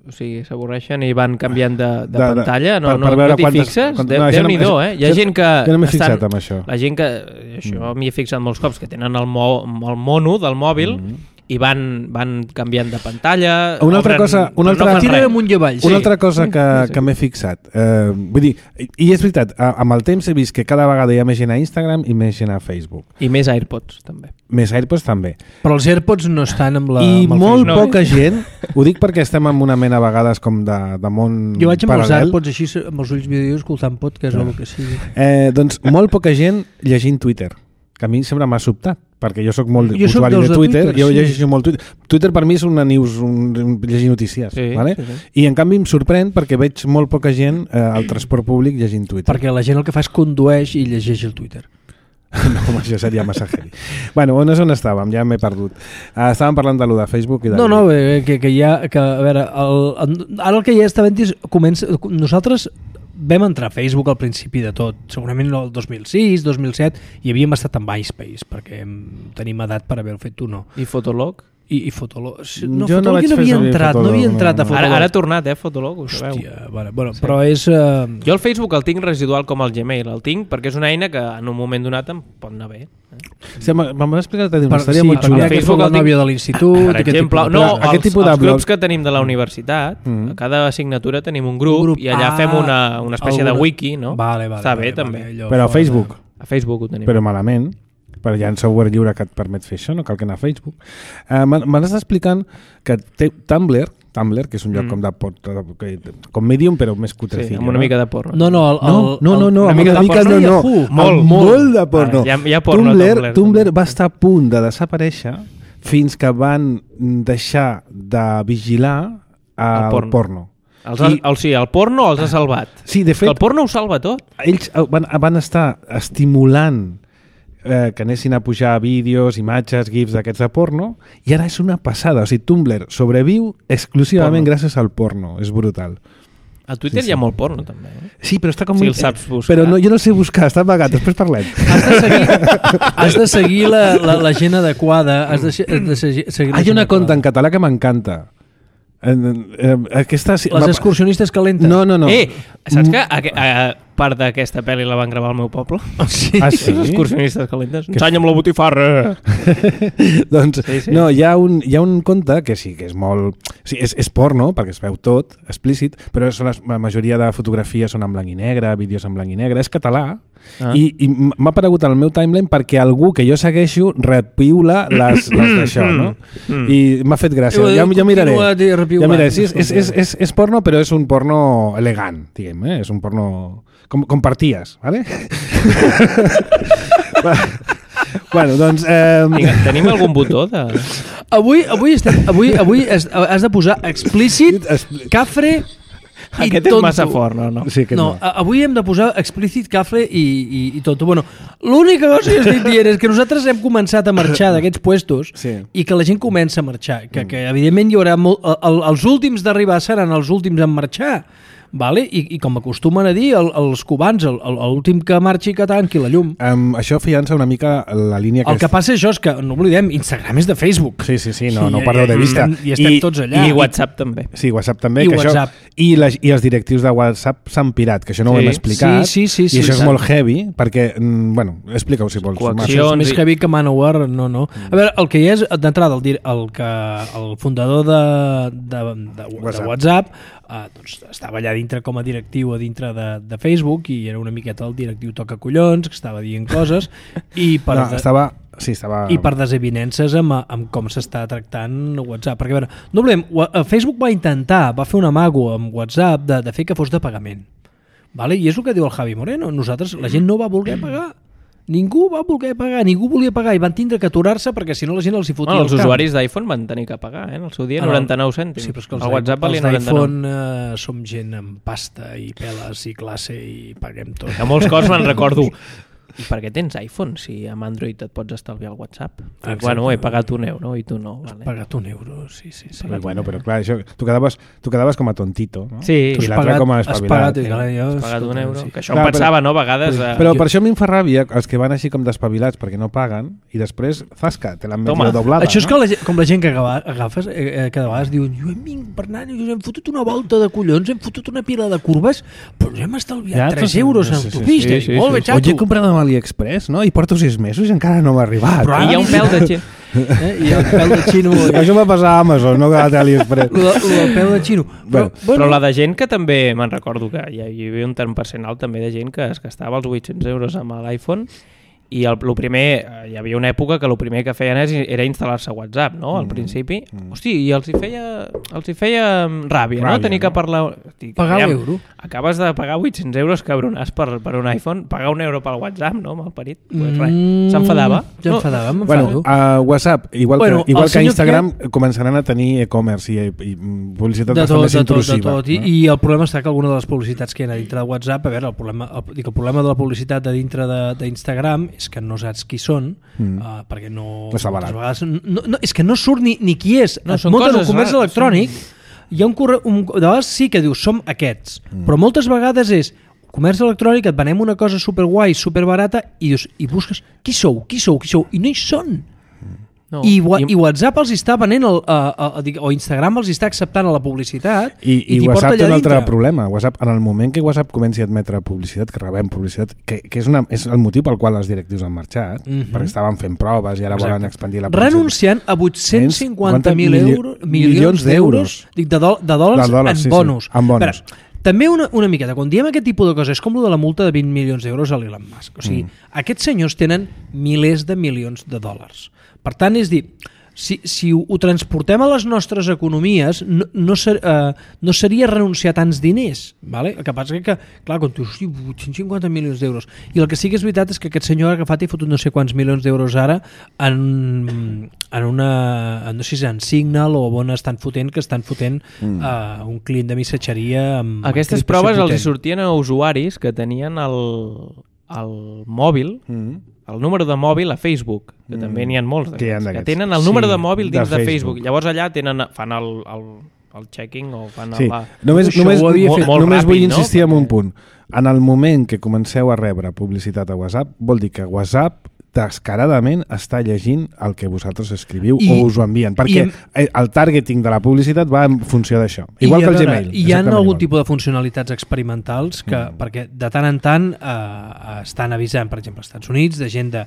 o sigui, s'avorreixen i van canviant de, de,
De- de-
pantalla, no,
per-
no,
per veure
no t'hi
quantes-
fixes?
quant-
Déu-
no, això no-
Déu-n'hi-do,
això-
eh? Hi ha
jo-
gent que...
jo no m'he
estan-
fixat amb això.
La gent que... Això m'hi he fixat molts cops, que tenen el, mo, el mono del mòbil i van, van canviant de pantalla...
Una altra
obren-
cosa- una
però no
altra-
fan
Tira
res.
amunt i avall.
Una
sí.
altra cosa que,
Sí, sí.
que m'he fixat, eh, vull dir, i, i és veritat, a, amb el temps he vist que cada vegada hi ha més gent a Instagram i més gent a Facebook.
I més AirPods, també.
Més AirPods també.
Però els AirPods no estan amb la...
I
amb el
molt
Facebook.
no,
poca gent, ho dic perquè estem en una mena a vegades com de, de món
Jo vaig amb els
paral·lel.
AirPods així, amb els ulls vídeos, escoltant podcast o el que sigui.
Eh, doncs molt poca gent llegint Twitter, que a mi sempre m'ha sobtat, perquè jo sóc molt
Jo soc
usuari
dels
de
de
Twitter,
Twitter,
jo
sí.
llegeixo molt Twitter. Twitter per mi és una news, un, un llegir notícies,
Sí,
vale?
sí, sí.
I en canvi em sorprèn perquè veig molt poca gent eh, al transport públic llegint Twitter.
Perquè la gent el que fa és condueix i llegeix el Twitter.
No, home, això seria massa heavy. Bueno, on és on estàvem? Ja m'he perdut. Uh, estàvem parlant de lo de Facebook i de...
No, no, eh, que, que hi ha... Que, a veure, el, ara el que ja està havent és... Comença, nosaltres vam entrar a Facebook al principi de tot, segurament el dos mil sis, dos mil set, i havíem estat en MySpace, perquè em- tenim edat per haver-ho fet tu, no.
I Fotolog?
I, i Fotolog... No,
Jo no
Fotolog
vaig
no
fer
havia
servir
entrat, no
Fotolog,
havia
no,
entrat a
no.
Fotolog.
Ara, ara ha tornat, eh, Fotolog, ho sabeu.
Hòstia, bueno, bueno, però és... Uh,
Jo el Facebook el tinc residual com el Gmail, el tinc perquè és una eina que en un moment donat em pot anar bé.
Sí, Me'n vas explicar una
per,
història
sí,
molt
perquè
xula.
hi ha que
Facebook
fer la
el tinc-
nòvia de l'institut...
Per
aquest
exemple,
tipus de
no,
coses.
aquest
els,
tipus de
els
blog-
grups que tenim de la universitat,
Mhm.
a cada assignatura tenim un grup,
Un grup.
i allà
Ah,
fem una, una espècie
alguna-
de wiki, no?
Vale, vale,
Està
vale,
bé,
vale,
també.
allò
Però a
fora de-
Facebook,
A Facebook ho tenim.
però malament, perquè hi ha un software lliure que et permet fer això, no cal que anar a Facebook. Uh, M'han estat explicant que té Tumblr, Tumblr, que és un lloc
Mm.
com de pot, que- com Medium, però més
Sí,
cutrecillo.
amb una mica de porno.
No, no, el, el,
No, no, no, no,
una
amb
mica
una
de
mica
porno
no,
i
no,
Yahoo.
amb
Molt,
molt de porno.
Ah, hi ha- hi ha porno a
Tumblr,
Tumblr,
Tumblr
també.
va estar a punt de desaparèixer fins que van deixar de vigilar el,
El porno.
porno.
Els ha,
I-
el, sí, el porno els ha salvat.
Sí, de
Que
fet,
el porno ho salva tot.
ells eh, van, van estar estimulant eh, que anessin a pujar vídeos, imatges, gifs d'aquests de porno, i ara és una passada. O sigui, Tumblr sobreviu exclusivament
Porno.
gràcies al porno. És brutal.
A Twitter
Sí,
hi ha
sí.
molt porno, també. Eh?
Sí, però està com...
Si
un-
el saps buscar.
Però no, jo no sé buscar, està amagat, després parlem.
Has de seguir, has de seguir la, la, la gent adequada, has de, se- has de seguir, seguir la
Hi ha
gent
una conta en
adequada.
català que m'encanta, Aquesta...
Les excursionistes calentes.
No, no, no.
Eh, saps que a, a part d'aquesta pel·li la van gravar al meu poble?
Sí.
Ah, sí?
Les excursionistes calentes. Ensanya'm la botifarra!
Doncs
Sí, sí.
no, hi ha, un, hi ha un conte que sí, que és molt... Sí, és, és porno, perquè es veu tot, explícit, però són les, la majoria de fotografies són en blanc i negre, vídeos en blanc i negre, és català, ah. i, i m'ha aparegut al meu timeline perquè algú que jo segueixo repiula les, les d'això, no?
Mm.
I m'ha fet gràcia. Ja, ja miraré. Ja miraré. Sí, és, és, és, és, és porno, però és un porno elegant, diguem, eh? És un porno... Com, comparties, ¿vale? Bueno, doncs... Eh...
Vinga, tenim algun botó de...
Avui, avui, estem, avui, avui has, has de posar explícit, cafre i
Aquest
tonto.
és massa fort, no? no.
Sí, que
No,
no.
a- avui hem de posar explícit, cafre i, i, i tonto. Bueno, l'única cosa que estic dient és que nosaltres hem començat a marxar d'aquests puestos
Sí.
i que la gent comença a marxar. Que, que evidentment hi haurà molt... El, els últims d'arribar seran els últims en marxar. Vale? I, I com acostumen a dir el, els cubans, el- el- l'últim que marxi que tanqui la llum.
Um, això fiança una mica la línia que...
El que passa això és que, no oblidem, Instagram és de Facebook.
Sí, sí, sí, no,
I-
no ho perdeu de
i
vista.
estem- I estem tots allà.
I WhatsApp també.
Sí, WhatsApp també.
I
que
WhatsApp.
Això, i, les, I els directius de WhatsApp s'han pirat, que això no ho
Sí.
hem explicat.
Sí, sí, sí,
I
sí,
això és
sí.
molt heavy, perquè, mm, bueno, explica-ho si vols.
Coacció.
Marc.
Això és més
i-
heavy que Manowar, no, no. A veure, el que hi és, d'entrada, el, dir- el, que, el fundador de, de, de, de
WhatsApp.
WhatsApp eh, doncs, estava allà dintre com a directiu a dintre de, de Facebook i era una miqueta el directiu toca collons, que estava dient coses i per,
No,
de,
estava... Sí, estava...
i per desavinences amb, amb com s'està tractant WhatsApp. Perquè, a veure, no volem, Facebook va intentar, va fer un amago amb WhatsApp de, de fer que fos de pagament. Vale? I és el que diu el Javi Moreno. Nosaltres, la gent no va voler pagar. Ningú va voler pagar, ningú volia pagar i van tindre que aturar-se perquè si no la gent els hi fotia
Bueno,
el
els
camp.
usuaris d'iPhone van tenir que pagar, eh? En el seu dia,
Ah, no.
noranta-nou cèntims.
Sí, però és que els,
el WhatsApp valia
els
noranta-nou.
d'iPhone eh, som gent amb pasta i peles i classe i paguem tot.
A molts cops me'n recordo. I per què tens iPhone si amb Android et pots estalviar el WhatsApp?
Exacte.
Bueno, he pagat un euro i tu no. Vale.
Pagat un euro, sí, sí. sí.
Però, bueno, però clar, això, tu, quedaves, tu quedaves com a tontito, no?
Sí,
Tu
I
has
l'altre
pagat-
com a
has
espavilat.
pagat, i, clar, jo,
has pagat un
escolta,
euro.
sí.
Que això
Clar,
em pensava,
però-
no? A vegades... Eh,
Però
Jo-
per això a mi em fa ràbia els que van així com despavilats perquè no paguen i després, zasca, te l'han
Toma.
medio doblada.
Això és
no?
que la, gent- com la gent que agava- agafes, eh, eh, cada vegada diuen jo hem vingut per anar, i us hem fotut una volta de collons, hem fotut una pila de curves, però ens hem estalviat
Ja,
tres
sí,
euros en
sí, sí,
autopista.
sí, sí,
Molt bé,
sí, sí.
Oye, he
xato.
comprado amb AliExpress, no? I porto sis mesos i encara no m'ha arribat.
Però
I hi ha un pèl de gent.
Eh? I el pèl de xino...
Això va passar a Amazon, no que a AliExpress.
Lo, lo del pèl de xino. Però,
Bueno,
Però la de gent que també, me'n recordo que hi havia un tant percent alt també de gent que es gastava els vuit-cents euros amb l'iPhone i el, el primer, hi havia una època que el primer que feien és, era instal·lar-se WhatsApp, no? Al
Mm.
principi.
Mm.
Hosti, i els hi feia, els hi feia ràbia, no?
Ràbia,
Tenir que
no?
parlar... Hosti,
pagar
aviam,
l'euro.
acabes de pagar vuit-cents euros, cabronàs, per, per un iPhone, pagar un euro pel WhatsApp, no? Malparit. Pues res.
Mm,
S'enfadava?
S'enfadava,
No.
Bueno,
m'enfado.
a WhatsApp, igual
Bueno,
que, igual
el
que
senyor
Instagram, començaran a tenir e-commerce i, i publicitat
de
bastant
tot,
més
de tot, de
intrusiva.
tot. I,
no?
I el problema està que alguna de les publicitats que hi ha a dintre de WhatsApp, a veure, el problema, el, dic, el problema de la publicitat a dintre de- d'Instagram és que no saps qui són,
Mm.
uh, perquè no...
No està
moltes
barat.
vegades, no, no, és que no surt ni, ni qui és.
No,
Et
són
munten un
coses
comerç
rares,
electrònic, hi ha un, corre, un... De vegades sí que dius, som aquests, mm. però moltes vegades és comerç electrònic, et venem una cosa superguai, superbarata, i dius, i busques, qui sou, qui sou, qui sou, i no hi són.
No.
I, wa- I WhatsApp els està venent el, uh, uh, o Instagram els està acceptant a la publicitat
I, i,
t'hi porta
WhatsApp té
allà
un altre
dintre.
problema. WhatsApp, en el moment que WhatsApp comenci a admetre publicitat, que rebem publicitat, que, que és, una, és el motiu pel qual els directius han marxat,
Mhm.
perquè estaven fent proves i ara
Exacte.
volen expandir la publicitat.
Renunciant a vuit-cents cinquanta mil
mili-
euros, milions
milions
d'euros, dic, de, do, de dòlars,
De dòlars,
en
sí, sí,
bonus.
en bonus.
Espera, també una, una miqueta, quan diem aquest tipus de coses, és com lo de la multa de vint milions d'euros a l'Elon Musk. O sigui,
Mm.
aquests senyors tenen milers de milions de dòlars. Per tant, és dir, si, si ho, ho transportem a les nostres economies, no, no, ser, uh, no seria renunciar a tants diners. Vale? El que passa és que, clar, quan tu dius, hosti, vuit-cents cinquanta milions d'euros, i el que sí que és veritat és que aquest senyor ha agafat i fotut no sé quants milions d'euros ara en, en una, no sé si és en Signal o on estan fotent, que estan fotent mm. uh, un client de missatgeria amb
Aquestes
encriptació
proves els hi
potent.
sortien a usuaris que tenien el, el mòbil,
Mm.
el número de mòbil a Facebook, que
Mm.
també n'hi ha molts
Que hi ha
d'aquests, que
d'aquests.
tenen el
Sí,
número de mòbil
de
dins de,
Facebook.
Facebook. Llavors allà tenen, fan el, el, el checking o fan
Sí.
la...
Només,
Això
només,
ho havia
molt,
fet
molt
només
ràpid,
vull
no?
insistir en un
Perquè-
punt. En el moment que comenceu a rebre publicitat a WhatsApp, vol dir que WhatsApp descaradament està llegint el que vosaltres escriviu
I,
o us ho envien, perquè
en,
el targeting de la publicitat va en funció d'això. Igual que el
veure,
Gmail.
Hi ha algun
igual.
tipus de funcionalitats experimentals que, mm. perquè de tant en tant eh, estan avisant, per exemple, als Estats Units, de gent de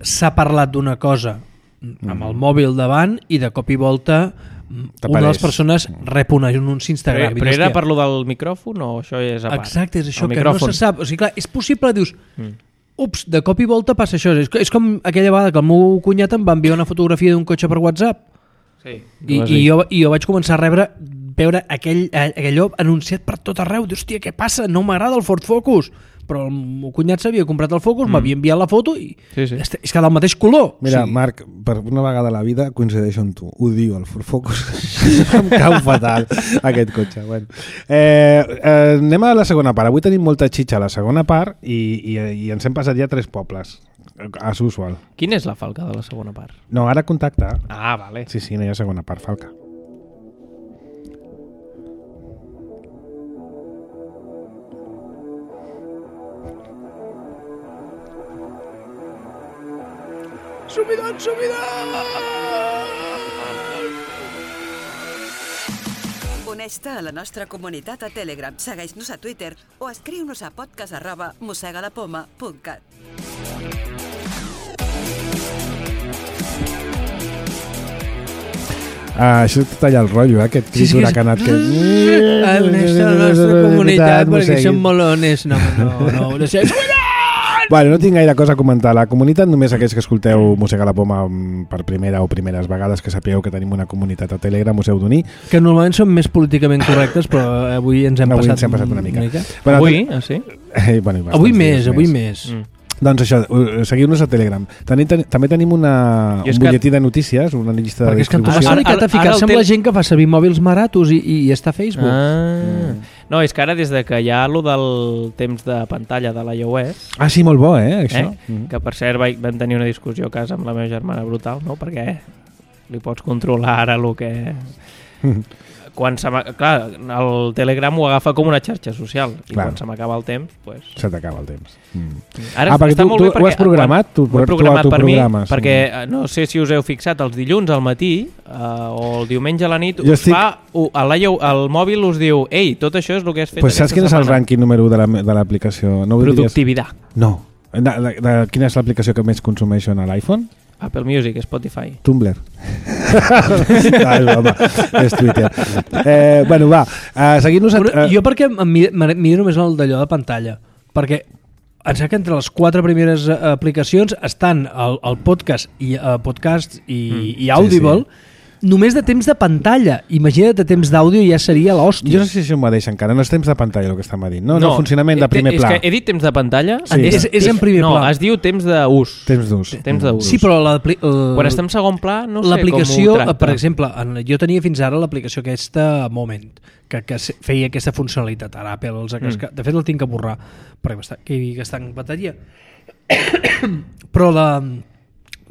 s'ha parlat d'una cosa amb mm. el mòbil davant i de cop i volta una de les persones rep un anunci Instagram.
Però, però era per lo del micròfon o això és a part?
Exacte, és això,
el
que
micròfon.
no se sap. O sigui, clar, és possible, dius,
mm.
ups, de cop i volta passa això. És, és com aquella vegada que el meu cunyat em va enviar una fotografia d'un cotxe per WhatsApp.
Sí.
I, i, jo, I jo vaig començar a rebre veure aquell, aquell anunciat per tot arreu. Dius, hòstia, què passa? No m'agrada el Ford Focus. Però el meu cunyat s'havia comprat el Focus, mm. m'havia enviat la foto i
sí, sí.
és, és que del mateix color.
Mira,
o sigui,
Marc, per una vegada a la vida coincideixo amb tu. Odio el Ford Focus. Em cau fatal aquest cotxe. Bueno. Eh, eh, anem a la segona part. Avui tenim molta xitxa a la segona part i, i, i ens hem passat ja tres pobles. As usual.
Quina és la falca de la segona part?
No, ara contacta.
Ah, vale.
Sí, sí, no hi ha segona part, falca.
Subidon, subidon!
Uneix-te a la nostra comunitat a Telegram, segueix-nos a Twitter o escriu-nos a podcast arroba mossegalapoma punt cat.
Ah, això et talla el rotllo, eh? Aquest crit
Sí, sí, que és-
huracanat que...
Uneix-te a la nostra comunitat perquè som molones. No, no, no. no sé.
Bueno, no tinc gaire cosa a comentar. La comunitat, només aquells que escolteu Mossega la Poma per primera o primeres vegades, que sapigueu que tenim una comunitat a Telegram, us heu d'unir.
Que normalment són més políticament correctes, però avui ens hem,
Avui
passat,
ens hem passat una mica.
Una mica.
Bueno,
Avui? Ah, sí?
Eh, bueno, bastants
Avui
dies
més, avui més.
Mm.
Doncs això, eh, seguiu-nos a Telegram. També, ten, també tenim una,
Jo és
un
que-
butlletí de notícies, una llista de
Perquè és que en tu
distribució.
m'has dedicat a
Ara- ara
ficar-se
el
amb
tel-
la gent que fa servir mòbils maratos i, i, i està a Facebook.
Ah. No, és que ara des de que hi ha lo del temps de pantalla de l'iOS,
Ah, sí, molt bo, eh, això.
eh?
Mm.
que per cert vaig, vam tenir una discussió a casa amb la meva germana brutal, no? Perquè li pots controlar ara el que... Quan se m'ha- clar, el Telegram ho agafa com una xarxa social i
Clar.
quan se m'acaba el temps pues...
Se t'acaba el temps. Mm.
Ara
Ah, perquè
està
tu-
molt
tu
bé
ho
perquè
has programat? Tu-
quan, ho he
tu
programat per mi
autoprogrames.
perquè eh, no sé si us heu fixat els dilluns al matí eh, o el diumenge a la nit
Jo
us
estic-
fa, uh, el, el mòbil us diu ei, tot això és el que has fet
Pues saps
aquesta
quin és el
setmana.
rànquing número u de la- de l'aplicació? No ho diries?
Productivitat.
No. De, de, de, quina és l'aplicació que més consumeixen a l'iPhone?
Apple Music, Spotify.
Tumblr. ah, és broma. És Twitter. Eh, bueno, va. Uh, Seguint-nos... A,
Però
uh,
jo perquè em mi- em miro només el d'allò de pantalla, perquè em sembla que entre les quatre primeres eh, aplicacions estan el, el podcast i uh, podcast i,
Mm.
i Audible,
Sí,
només de temps de pantalla. Imagina't de temps d'àudio ja seria l'hòstia.
jo no sé si això em va deixar encara. No és temps de pantalla el que estem dient. No, no, no funcionament de
eh,
primer
és
pla.
que he dit temps de pantalla.
Sí.
És, és en primer
no,
pla.
es diu temps d'ús.
Temps d'ús.
Temps d'ús.
Sí, però l'apli- el-
Quan estem en segon pla, no sé com
l'aplicació,
ho tracta.
per exemple, en, jo tenia fins ara l'aplicació aquesta Moment, que, que se- feia aquesta funcionalitat. Ara Apple els ha cascat. Mm. De fet, el tinc que borrar, perquè està, que, que està en bateria. però la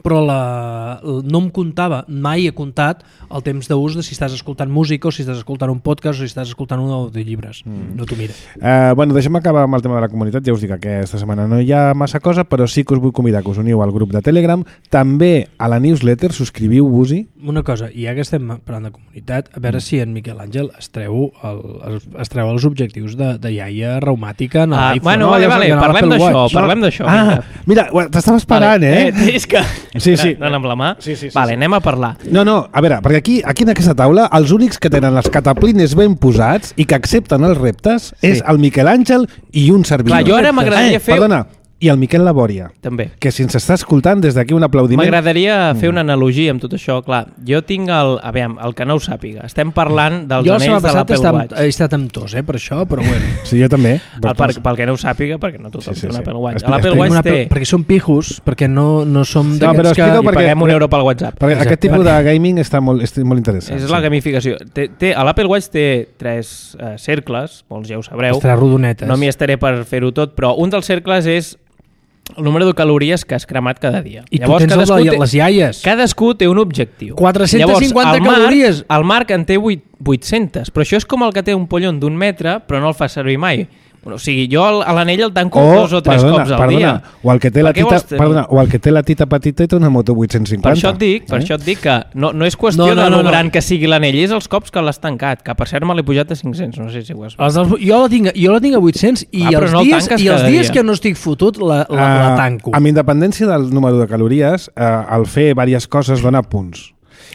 però la, no em comptava, mai he comptat el temps d'ús de si estàs escoltant música o si estàs escoltant un podcast o si estàs escoltant un audiollibres. Mm. No t'ho mira.
Uh, bueno, deixem acabar amb el tema de la comunitat. Ja us dic que aquesta setmana no hi ha massa cosa, però sí que us vull convidar que us uniu al grup de Telegram. També a la newsletter, subscriviu-vos-hi.
Una cosa, i ja que estem parlant de comunitat, a veure si en Miquel Àngel es treu, el, es, es treu els objectius de, de iaia reumàtica en
Ah,
l'iPhone.
bueno,
no?
vale,
Allò
vale,
que anava
parlem
pel
d'això,
Watch.
parlem d'això.
Ah,
vinga.
mira, t'estava esperant,
vale.
eh?
eh? És que...
Sí, sí.
Anant amb la mà?
Sí, sí, sí,
vale,
sí.
anem a parlar.
No, no, a veure, perquè aquí, aquí en aquesta taula els únics que tenen les cataplines ben posats i que accepten els reptes
Sí.
és el Miquel Àngel i un servidor.
Clar, jo ara m'agradaria
eh,
fer-
Perdona, i el Miquel Labòria,
També.
que si ens està escoltant des d'aquí un aplaudiment...
M'agradaria fer
Mm.
una analogia amb tot això. Clar, jo tinc el... A veure, el que no ho sàpiga. Estem parlant dels
Jo la setmana
anells de
passada
l'Apple
estat,
Watch.
he estat amb tos, eh, per això, però bueno.
Sí, jo també.
El, per, pel que no ho sàpiga, perquè no tothom
Sí, sí,
té un
sí.
Apple Watch.
Explica-
L'Apple
explica
Watch
Una,
té...
perquè som pijos, perquè no, no som
No, però
d'aquests que...
explica-ho
I
perquè-
paguem un euro pel WhatsApp.
Perquè
Exacte.
aquest tipus de gaming està molt, és molt interessant.
És la gamificació. Té, té, L'Apple Watch té tres eh, cercles, molts ja ho sabreu.
Estarà rodonetes.
No m'hi estaré per fer-ho tot, però un dels cercles és el número de calories que has cremat cada dia.
I tu tens el de les iaies.
Cadascú té un objectiu.
quatre-centes cinquanta
Llavors, el Marc-
calories.
El Marc en té vuit, vuit-centes, però això és com el que té un pollon d'un metre, però no el fa servir mai. O sigui, jo a l'anell el tanco
o,
dos o tres
perdona,
cops al
perdona,
dia.
O el, que té la
Per què
tita,
vols tenir?
perdona, o el que té la tita petita i té una moto vuit-cents cinquanta.
Per això et dic, per
eh?
això et dic que no, no és qüestió
No, no,
de
no,
lo
no.
gran que sigui l'anell, és els cops que l'has tancat, que per cert me l'he pujat a cinc-cents, no sé si ho has vist.
Els dels, jo, la tinc, jo la tinc a vuit-cents i
Ah, però
els
no el
dies,
tanques
i els
cada
dies
dia.
que no estic fotut la, la,
Ah,
la tanco.
amb independència del número de calories, eh, el fer diverses coses dona punts.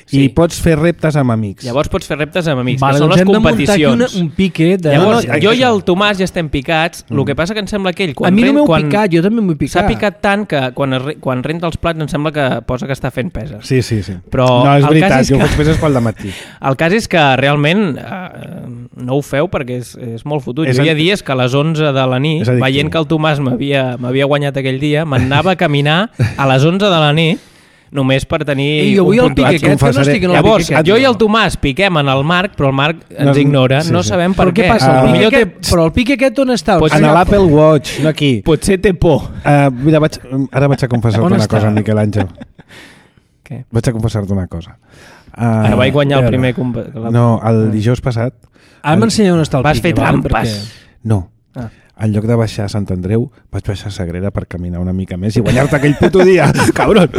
Sí.
I pots fer reptes amb amics.
Llavors pots fer reptes amb amics,
Vale,
que són
doncs
les
hem de muntar aquí
competicions.
una, un pique de...
Llavors,
No, no,
jo
això.
i el Tomàs ja estem picats, el que passa que em sembla que ell...
a mi no
ren-
m'heu
quan
picat, jo també m'ho he picat.
S'ha picat tant que quan, es, re- quan renta els plats em sembla que posa que està fent peses.
Sí, sí, sí.
Però
no, és
el
veritat,
cas és
jo
que-
ho faig peses pel dematí.
El cas és que realment eh, no ho feu perquè és, és molt fotut.
És
Jo hi ha
ad-
dies que a les onze de la nit,
És addictiu.
veient que el Tomàs m'havia m'havia guanyat aquell dia, m'anava a caminar a les onze de la nit només per tenir
I avui
un
el pique
puntuatge.
aquest, que no
confessaré.
estic en el
Llavors,
pique aquest.
jo i el Tomàs piquem en el Marc, però el Marc ens
No,
ignora,
sí,
no
sí.
sabem per
Però què
què.
passa?
Ah,
El pique
Millor té,
aquest, però el pique aquest on està?
Pots
En
ser-
l'Apple Watch, no aquí.
potser té por.
Uh, mira, vaig, ara vaig a confessar-te
On
una
està?
cosa, Miquel Àngel.
Què?
Vaig a confessar-te una cosa. Uh,
Ara vaig guanyar
a
el
veure.
primer... comp- la-
No, el dijous passat...
Ara m'ensenya on està el
Vas
pique.
fer
vale?
trampes.
Perquè-
No.
Ah.
En lloc de baixar a Sant Andreu, vaig baixar a Sagrera per caminar una mica més i guanyar-te aquell puto dia, cabron!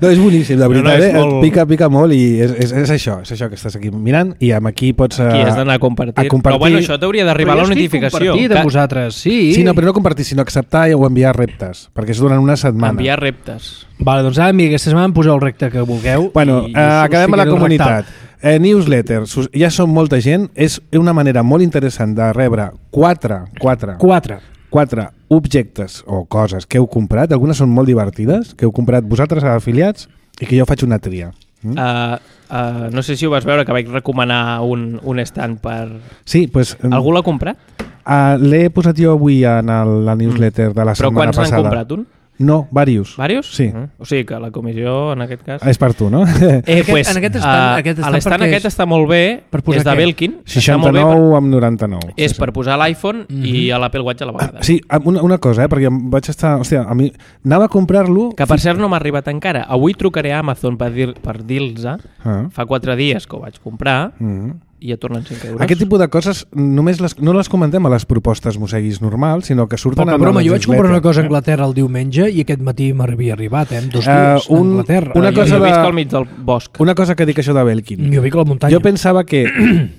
No, és boníssim, de
No, no,
veritat,
és
eh?
molt-
Pica, pica molt i és, és, és això, és això que estàs aquí mirant i amb aquí pots...
Aquí
eh,
has d'anar a compartir.
a compartir.
Però bueno, això t'hauria d'arribar
Però
la
jo estic
notificació.
compartit
Que-
amb vosaltres, sí.
Sí, no, però no compartir, sinó acceptar o enviar reptes, perquè és durant una setmana.
Enviar reptes.
Vale, doncs ara, amiga, aquesta setmana em poseu el recte que vulgueu.
Bueno,
i
eh,
us
acabem a la
ficaré el
comunitat.
rectal.
Eh, newsletter, sus- ja som molta gent, és una manera molt interessant de rebre quatre, quatre,
Quatre.
quatre objectes o coses que heu comprat, algunes són molt divertides, que heu comprat vosaltres afiliats i que jo faig una tria. Mm?
Uh, uh, no sé si ho vas veure, que vaig recomanar un, un stand per...
Sí, pues, mm,
Algú l'ha comprat?
uh, l'he posat jo avui en el, la newsletter de la
Però
setmana
quants n'han
passada.
comprat? Un?
No, varios.
Vàrios?
Sí.
Uh, o sigui que la comissió, en aquest cas...
És per tu, no?
Eh,
Aquest-
pues,
en aquest stand-
uh,
aquest stand
l'estant
per què
aquest
és?
està molt bé,
Per posar
és de
què?
Belkin. està molt bé
seixanta-nou amb noranta-nou.
per, és per posar l'iPhone
Mhm.
i a l'Apple Watch a la vegada.
Sí, una, una cosa, eh, perquè em vaig estar... Hòstia, a mi... Anava a comprar-lo...
Que per cert no m'ha arribat encara. Avui trucaré a Amazon per dir per dir-los
Ah.
fa quatre dies que ho vaig comprar
Mm.
i ja tornen cinc euros.
Aquest tipus de coses només les, no les comentem a les propostes mosseguis normals, sinó que surten...
Poca
en
broma,
la
jo vaig comprar una
newsletter,
cosa a
eh?
Anglaterra el diumenge i aquest matí m'havia arribat, eh, amb dos
Eh,
dies
un-
a Anglaterra.
una
Eh,
jo,
cosa
jo
de-
visc al mig del bosc.
Una cosa que dic això de Belkin.
Jo vic a la muntanya.
Jo pensava que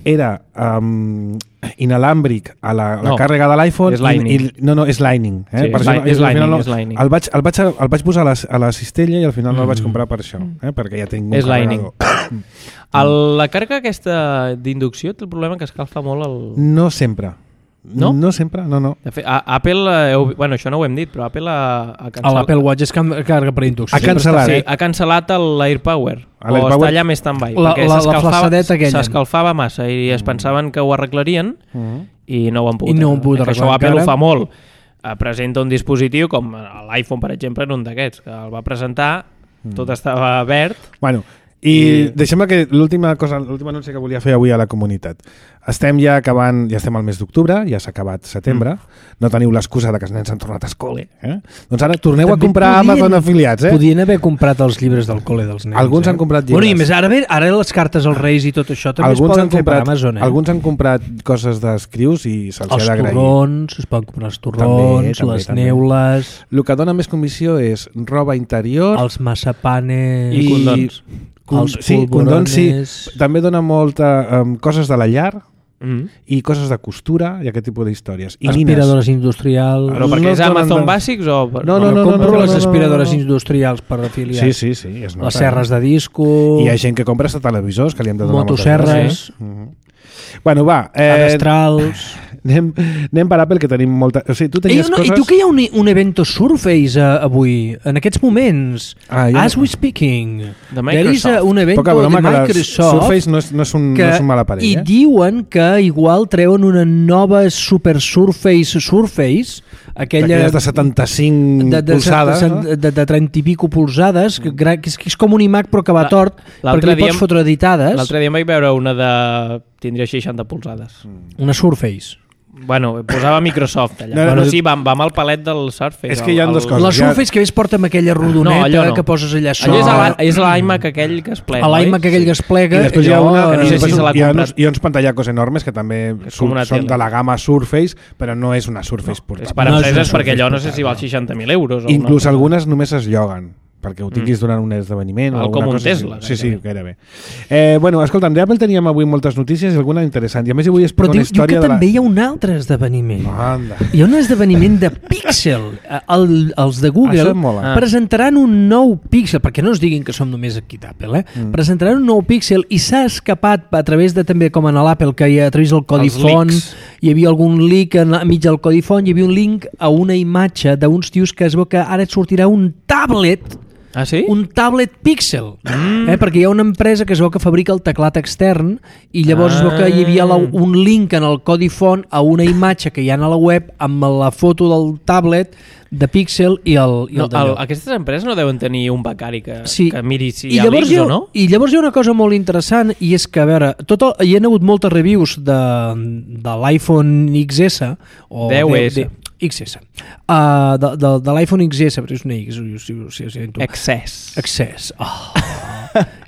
era um, inalàmbric a la, la
No,
càrrega de l'iPhone.
és Lightning.
I, no, no, és Lightning. Eh?
Sí,
Per
és
això
li-
no-
és
al
Lightning,
final no-
és Lightning.
El vaig, el vaig, el vaig posar a la, a la cistella i al final no el vaig comprar per això, eh? perquè ja tinc un
És Lightning.
carregador.
El, la càrrega aquesta d'inducció té el problema que escalfa molt el...
No sempre.
No?
No sempre, no, no.
De fet, a, Apple, eh, heu, bueno, això no ho hem dit, però Apple ha, ha
A
cancel·lat...
l'Apple Watch és cam- carga per inducció.
Ha cancel·lat.
Sí, ha cancel·lat el- l'AirPower.
A
O
l'AirPower-
està allà més stand-by.
La-
perquè
la- la
s'escalfava-
flaçadeta aquella.
S'escalfava massa i es pensaven que ho arreglarien
Mm.
i no ho han pogut.
I no ho han pogut
arreglar. Que Això
arreglar
Apple
encara.
ho fa molt. Eh, presenta un dispositiu com l'iPhone, per exemple, en un d'aquests, que el va presentar, tot estava verd.
Bueno, i, I... deixem que l'última cosa, l'últim anunci que volia fer avui a la comunitat. Estem ja acabant, ja estem al mes d'octubre, ja s'ha acabat setembre, mm. no teniu l'excusa de que els nens han tornat a escola. Eh? Doncs ara torneu
També
a comprar
podien-
Amazon afiliats. Eh?
Podien haver comprat els llibres del col·le dels nens.
Alguns
eh?
han comprat
Bueno, i
llibres.
més ara, bé, ara les cartes als Reis i tot això també
Alguns
es poden
han,
fer per
comprat,
Amazon. Eh?
alguns han comprat coses d'escrius i se'ls
Els
ha d'agrair.
torrons, es poden comprar els torrons,
També, també,
les
també.
neules,
El que dona més comissió és roba interior
els massapanes...
I condons.
Con,
els
sí, condons, sí.
polvorones.
També dona molta um, coses de la llar
Mm.
i coses de costura i aquest tipus d'històries. I nines.
Aspiradores industrials...
Però perquè
No
és
donen
Amazon
de-
Basics o... per-
No, no, no,
compro
no, no,
les
no, no,
aspiradores
no, no.
industrials per afiliar.
Sí, sí, sí. Es nota.
Les serres de disco...
I hi ha gent que compra hasta televisors que li hem de donar moltes
motoserres,
gràcies. Mhm. Bueno, va. Eh,
adestrals...
anem, anem per Apple, que tenim molta... O sigui, tu
Ei,
tenies
no,
coses...
I tu que hi ha un, un evento Surface uh, avui, en aquests moments,
Ah, ja-
as we speaking,
De
there is
Microsoft.
uh, un evento
Poca broma,
de
que la
Microsoft
Surface no és, no és, un,
que,
no és un mal aparell,
i
eh?
diuen que igual treuen una nova Super Surface Surface, aquella
D'aquelles de setanta-cinc
de, de,
polzades,
de,
no?
de, de, de trenta i pico polzades, que, gra- que, és, que és com un iMac però que va
La-
tort,
l'altre
perquè li
dia
pots
em-
fotre editades.
L'altre dia em vaig veure una de... tindria seixanta polzades.
Una Surface.
Bueno, posava Microsoft allà.
No, no,
Bueno,
no.
sí, va, va amb el palet del Surface.
És que hi ha
el,
dues
el-
coses.
La
ja-
Surface que ves porta amb aquella rodoneta
No, allò no.
que poses allà
Allò és
sobre.
l'a- és l'iMac aquell que es plega,
A l'iMac aquell que es plega.
I després hi ha
allò,
una,
que no sé
i
si
després
se l'ha
hi ha
comprat.
uns, hi ha uns pantallacos enormes que també
És com una
són
tele.
de la gamma Surface, però no és una Surface
És
portable.
per
No, és
empreses
una
perquè allò no sé
Surface
si val seixanta mil euros. o
Inclús
una-
algunes només es lloguen perquè ho tinguis durant un esdeveniment o
Val
alguna
com un
cosa
Tesla,
així. Sí, sí,
gairebé.
gairebé. Eh, bueno, escolta, de Apple teníem avui moltes notícies i alguna interessant. I a més hi vull explicar
Però
una
diu, diu
història
que
de la...
també hi ha un altre esdeveniment.
Anda.
Hi ha un esdeveniment de Pixel. El, els de Google
Això em mola.
Ah.
presentaran un nou Pixel, perquè no es diguin que som només aquí d'Apple, eh? Mm. Presentaran un nou Pixel i s'ha escapat a través de també, com en l'Apple, que hi ha, a través del codi
Els
font,
leaks.
hi havia algun leak en, enmig del codi font, hi havia un link a una imatge d'uns tios que es veu que ara et sortirà un tablet
Ah, sí?
un tablet Pixel, mm. eh? perquè hi ha una empresa que es veu que fabrica el teclat extern i llavors ah. es veu que hi havia la, un link en el codi font a una imatge que hi ha a la web amb la foto del tablet de Pixel i el, i
No,
el d'allò.
el, aquestes empreses no deuen tenir un becari que,
Sí.
que miri si
I
hi ha
llavors,
leaks
hi ha,
o no?
I llavors hi ha una cosa molt interessant i és que, a veure, tot el, hi ha hagut moltes reviews de, de l'iPhone X S o
deu
de,
essa.
de, X S uh, de, de, de l'iPhone X S, però és una X, si, si, si, si, si,
Excess.
Access. Oh.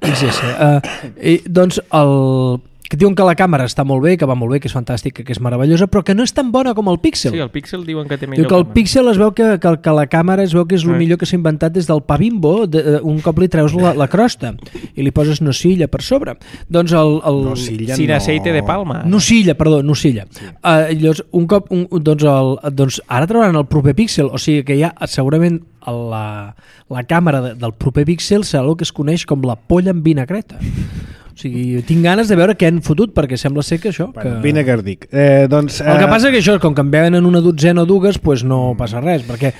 X S. Uh, i, doncs el que diuen que la càmera està molt bé, que va molt bé, que és fantàstica, que és meravellosa, però que no és tan bona com el Pixel.
Sí, el Pixel diuen que té millor
Diu que el
càmera.
Pixel es veu que, que, que la càmera es veu que és el
Sí.
millor que s'ha inventat des del pa Bimbo, de, uh, un cop li treus la, la crosta i li poses nocilla per sobre. Doncs el... el
Nocilla
Sin
no.
aceite de palma.
Nocilla, perdó, nocilla. Sí. Uh, llavors, un cop, un, doncs, el, doncs ara trauran el proper Pixel, o sigui que ja segurament la, la càmera de, del proper Pixel serà el que es coneix com la polla amb vinagreta. O sigui, tinc ganes de veure què han fotut, perquè sembla ser que això... Que...
Bueno, Vinegar dic. Eh, doncs, eh...
El que passa és que això, com que en venen una dotzena o dues, pues no passa res, perquè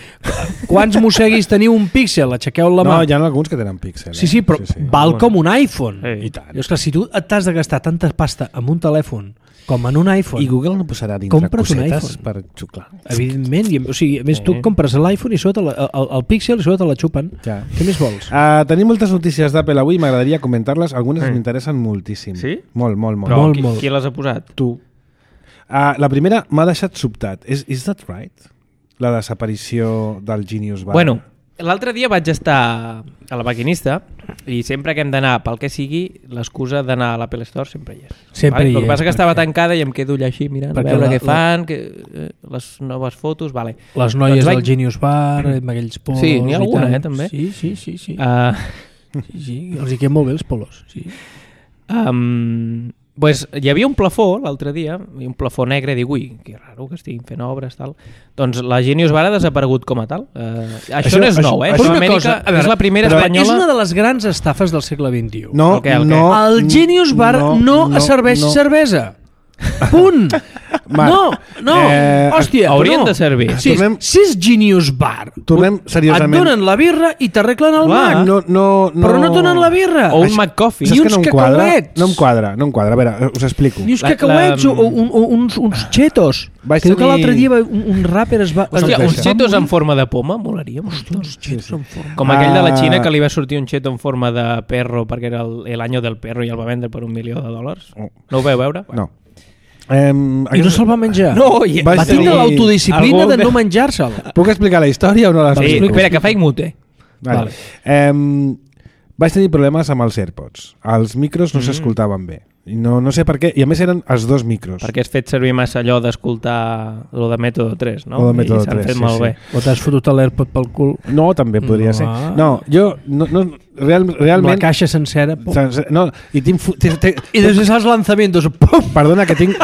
quants mosseguis teniu un Pixel? Aixequeu la mà.
No, hi ha alguns que tenen píxel. Eh?
Sí, sí, però sí, sí. val com un iPhone.
Sí.
I tant. I, esclar, si tu t'has de gastar tanta pasta amb un telèfon com en un iPhone,
I Google no posarà dintre
Compra't un
cosetes
iPhone.
per xuclar.
evidentment, i, o sigui, a més, tu
Sí.
compres l'iPhone i sota la, el, el Pixel i sota la xupen.
Ja.
Què més vols?
Uh, tenim moltes notícies d'Apple avui, m'agradaria comentar-les. Algunes
Mm.
m'interessen moltíssim.
Sí?
Molt, molt, molt.
Però
Molt,
qui,
molt.
qui les ha posat?
Tu. Uh, la primera m'ha deixat sobtat. Is, is that right? La desaparició del Genius Bar.
Bueno, l'altre dia vaig estar a la maquinista i sempre que hem d'anar pel que sigui, l'excusa d'anar a l'Apple Store sempre hi és.
Sempre
vale?
hi
El que
és,
passa que estava
perquè-
tancada i em quedo allà així mirant a
Perquè
veure
la-
què fan, que, eh, les noves fotos, vale.
Les noies
Doncs vaig-
del Genius Bar, amb aquells polos...
Sí, n'hi ha
i
alguna,
tal.
eh, també.
Sí, sí, sí. sí.
Uh,
sí, sí. Els hi queden molt bé els polos. Sí.
um, pues, hi havia un plafó l'altre dia, i un plafó negre, dic, ui, que raro que estiguin fent obres, tal. Doncs la Genius Bar ha desaparegut com a tal. Uh, això,
Això-
això no és
això-
nou, eh?
això-
Això a
una
Amèrica
cosa, a veure,
és la primera
però
espanyola...
És una de les grans estafes del segle vint-i-u.
No,
El què, el què?
no,
El Genius Bar no, no, no serveix
no.
cervesa. Punt!
Marc,
no, no,
eh,
hòstia,
haurien
no.
de servir.
Si,
Tornem-
si és Genius Bar,
Tornem seriosament.
et donen la birra i t'arreglen el
Clar.
Mac,
No, no, no...
però no et donen la birra.
O un
Això-
McCoffee.
Ni
Saps
uns
que no em quadra?
cacauets.
No em quadra, no em quadra. A veure, us explico.
Ni uns
La-
cacauets
la-
o un, un, uns, uns chetos.
Vaig
Que diu que
tenir-
l'altre dia va- un, un rapper es va...
Hòstia,
Hòstia,
uns
va
chetos
morir.
en forma de poma, molaria.
Hòstia, uns chetos en forma...
Com aquell de la
Ah.
Xina que li va sortir un cheto en forma de perro perquè era el, el año del perro i el va vendre per un milió de dòlars.
Oh.
No ho veu veure?
No. Um,
I no se'l va menjar.
No, i
Vaig
va tindre
tenir-
l'autodisciplina
algú
de
que-
no menjar-se'l.
Puc explicar la història o no la
Sí,
explico?
espera, que faig mute.
Vale. Um, vaig tenir problemes amb els AirPods. Els micros no
Mm.
s'escoltaven bé. I no, no sé per què. I a més eren els dos micros.
Perquè has fet servir massa allò d'escoltar lo de Mètode tres, no?
Lo de Mètode
I s'han
tres,
fet
sí,
molt
sí.
bé.
O t'has fotut l'AirPod pel cul.
No, també podria
No.
ser. No, jo... No, no, real,
Amb la
realment...
caixa sencera. Pum.
No, i tinc... fu- tinc, tinc
I després els lanzamientos. Pum!
perdona, que tinc...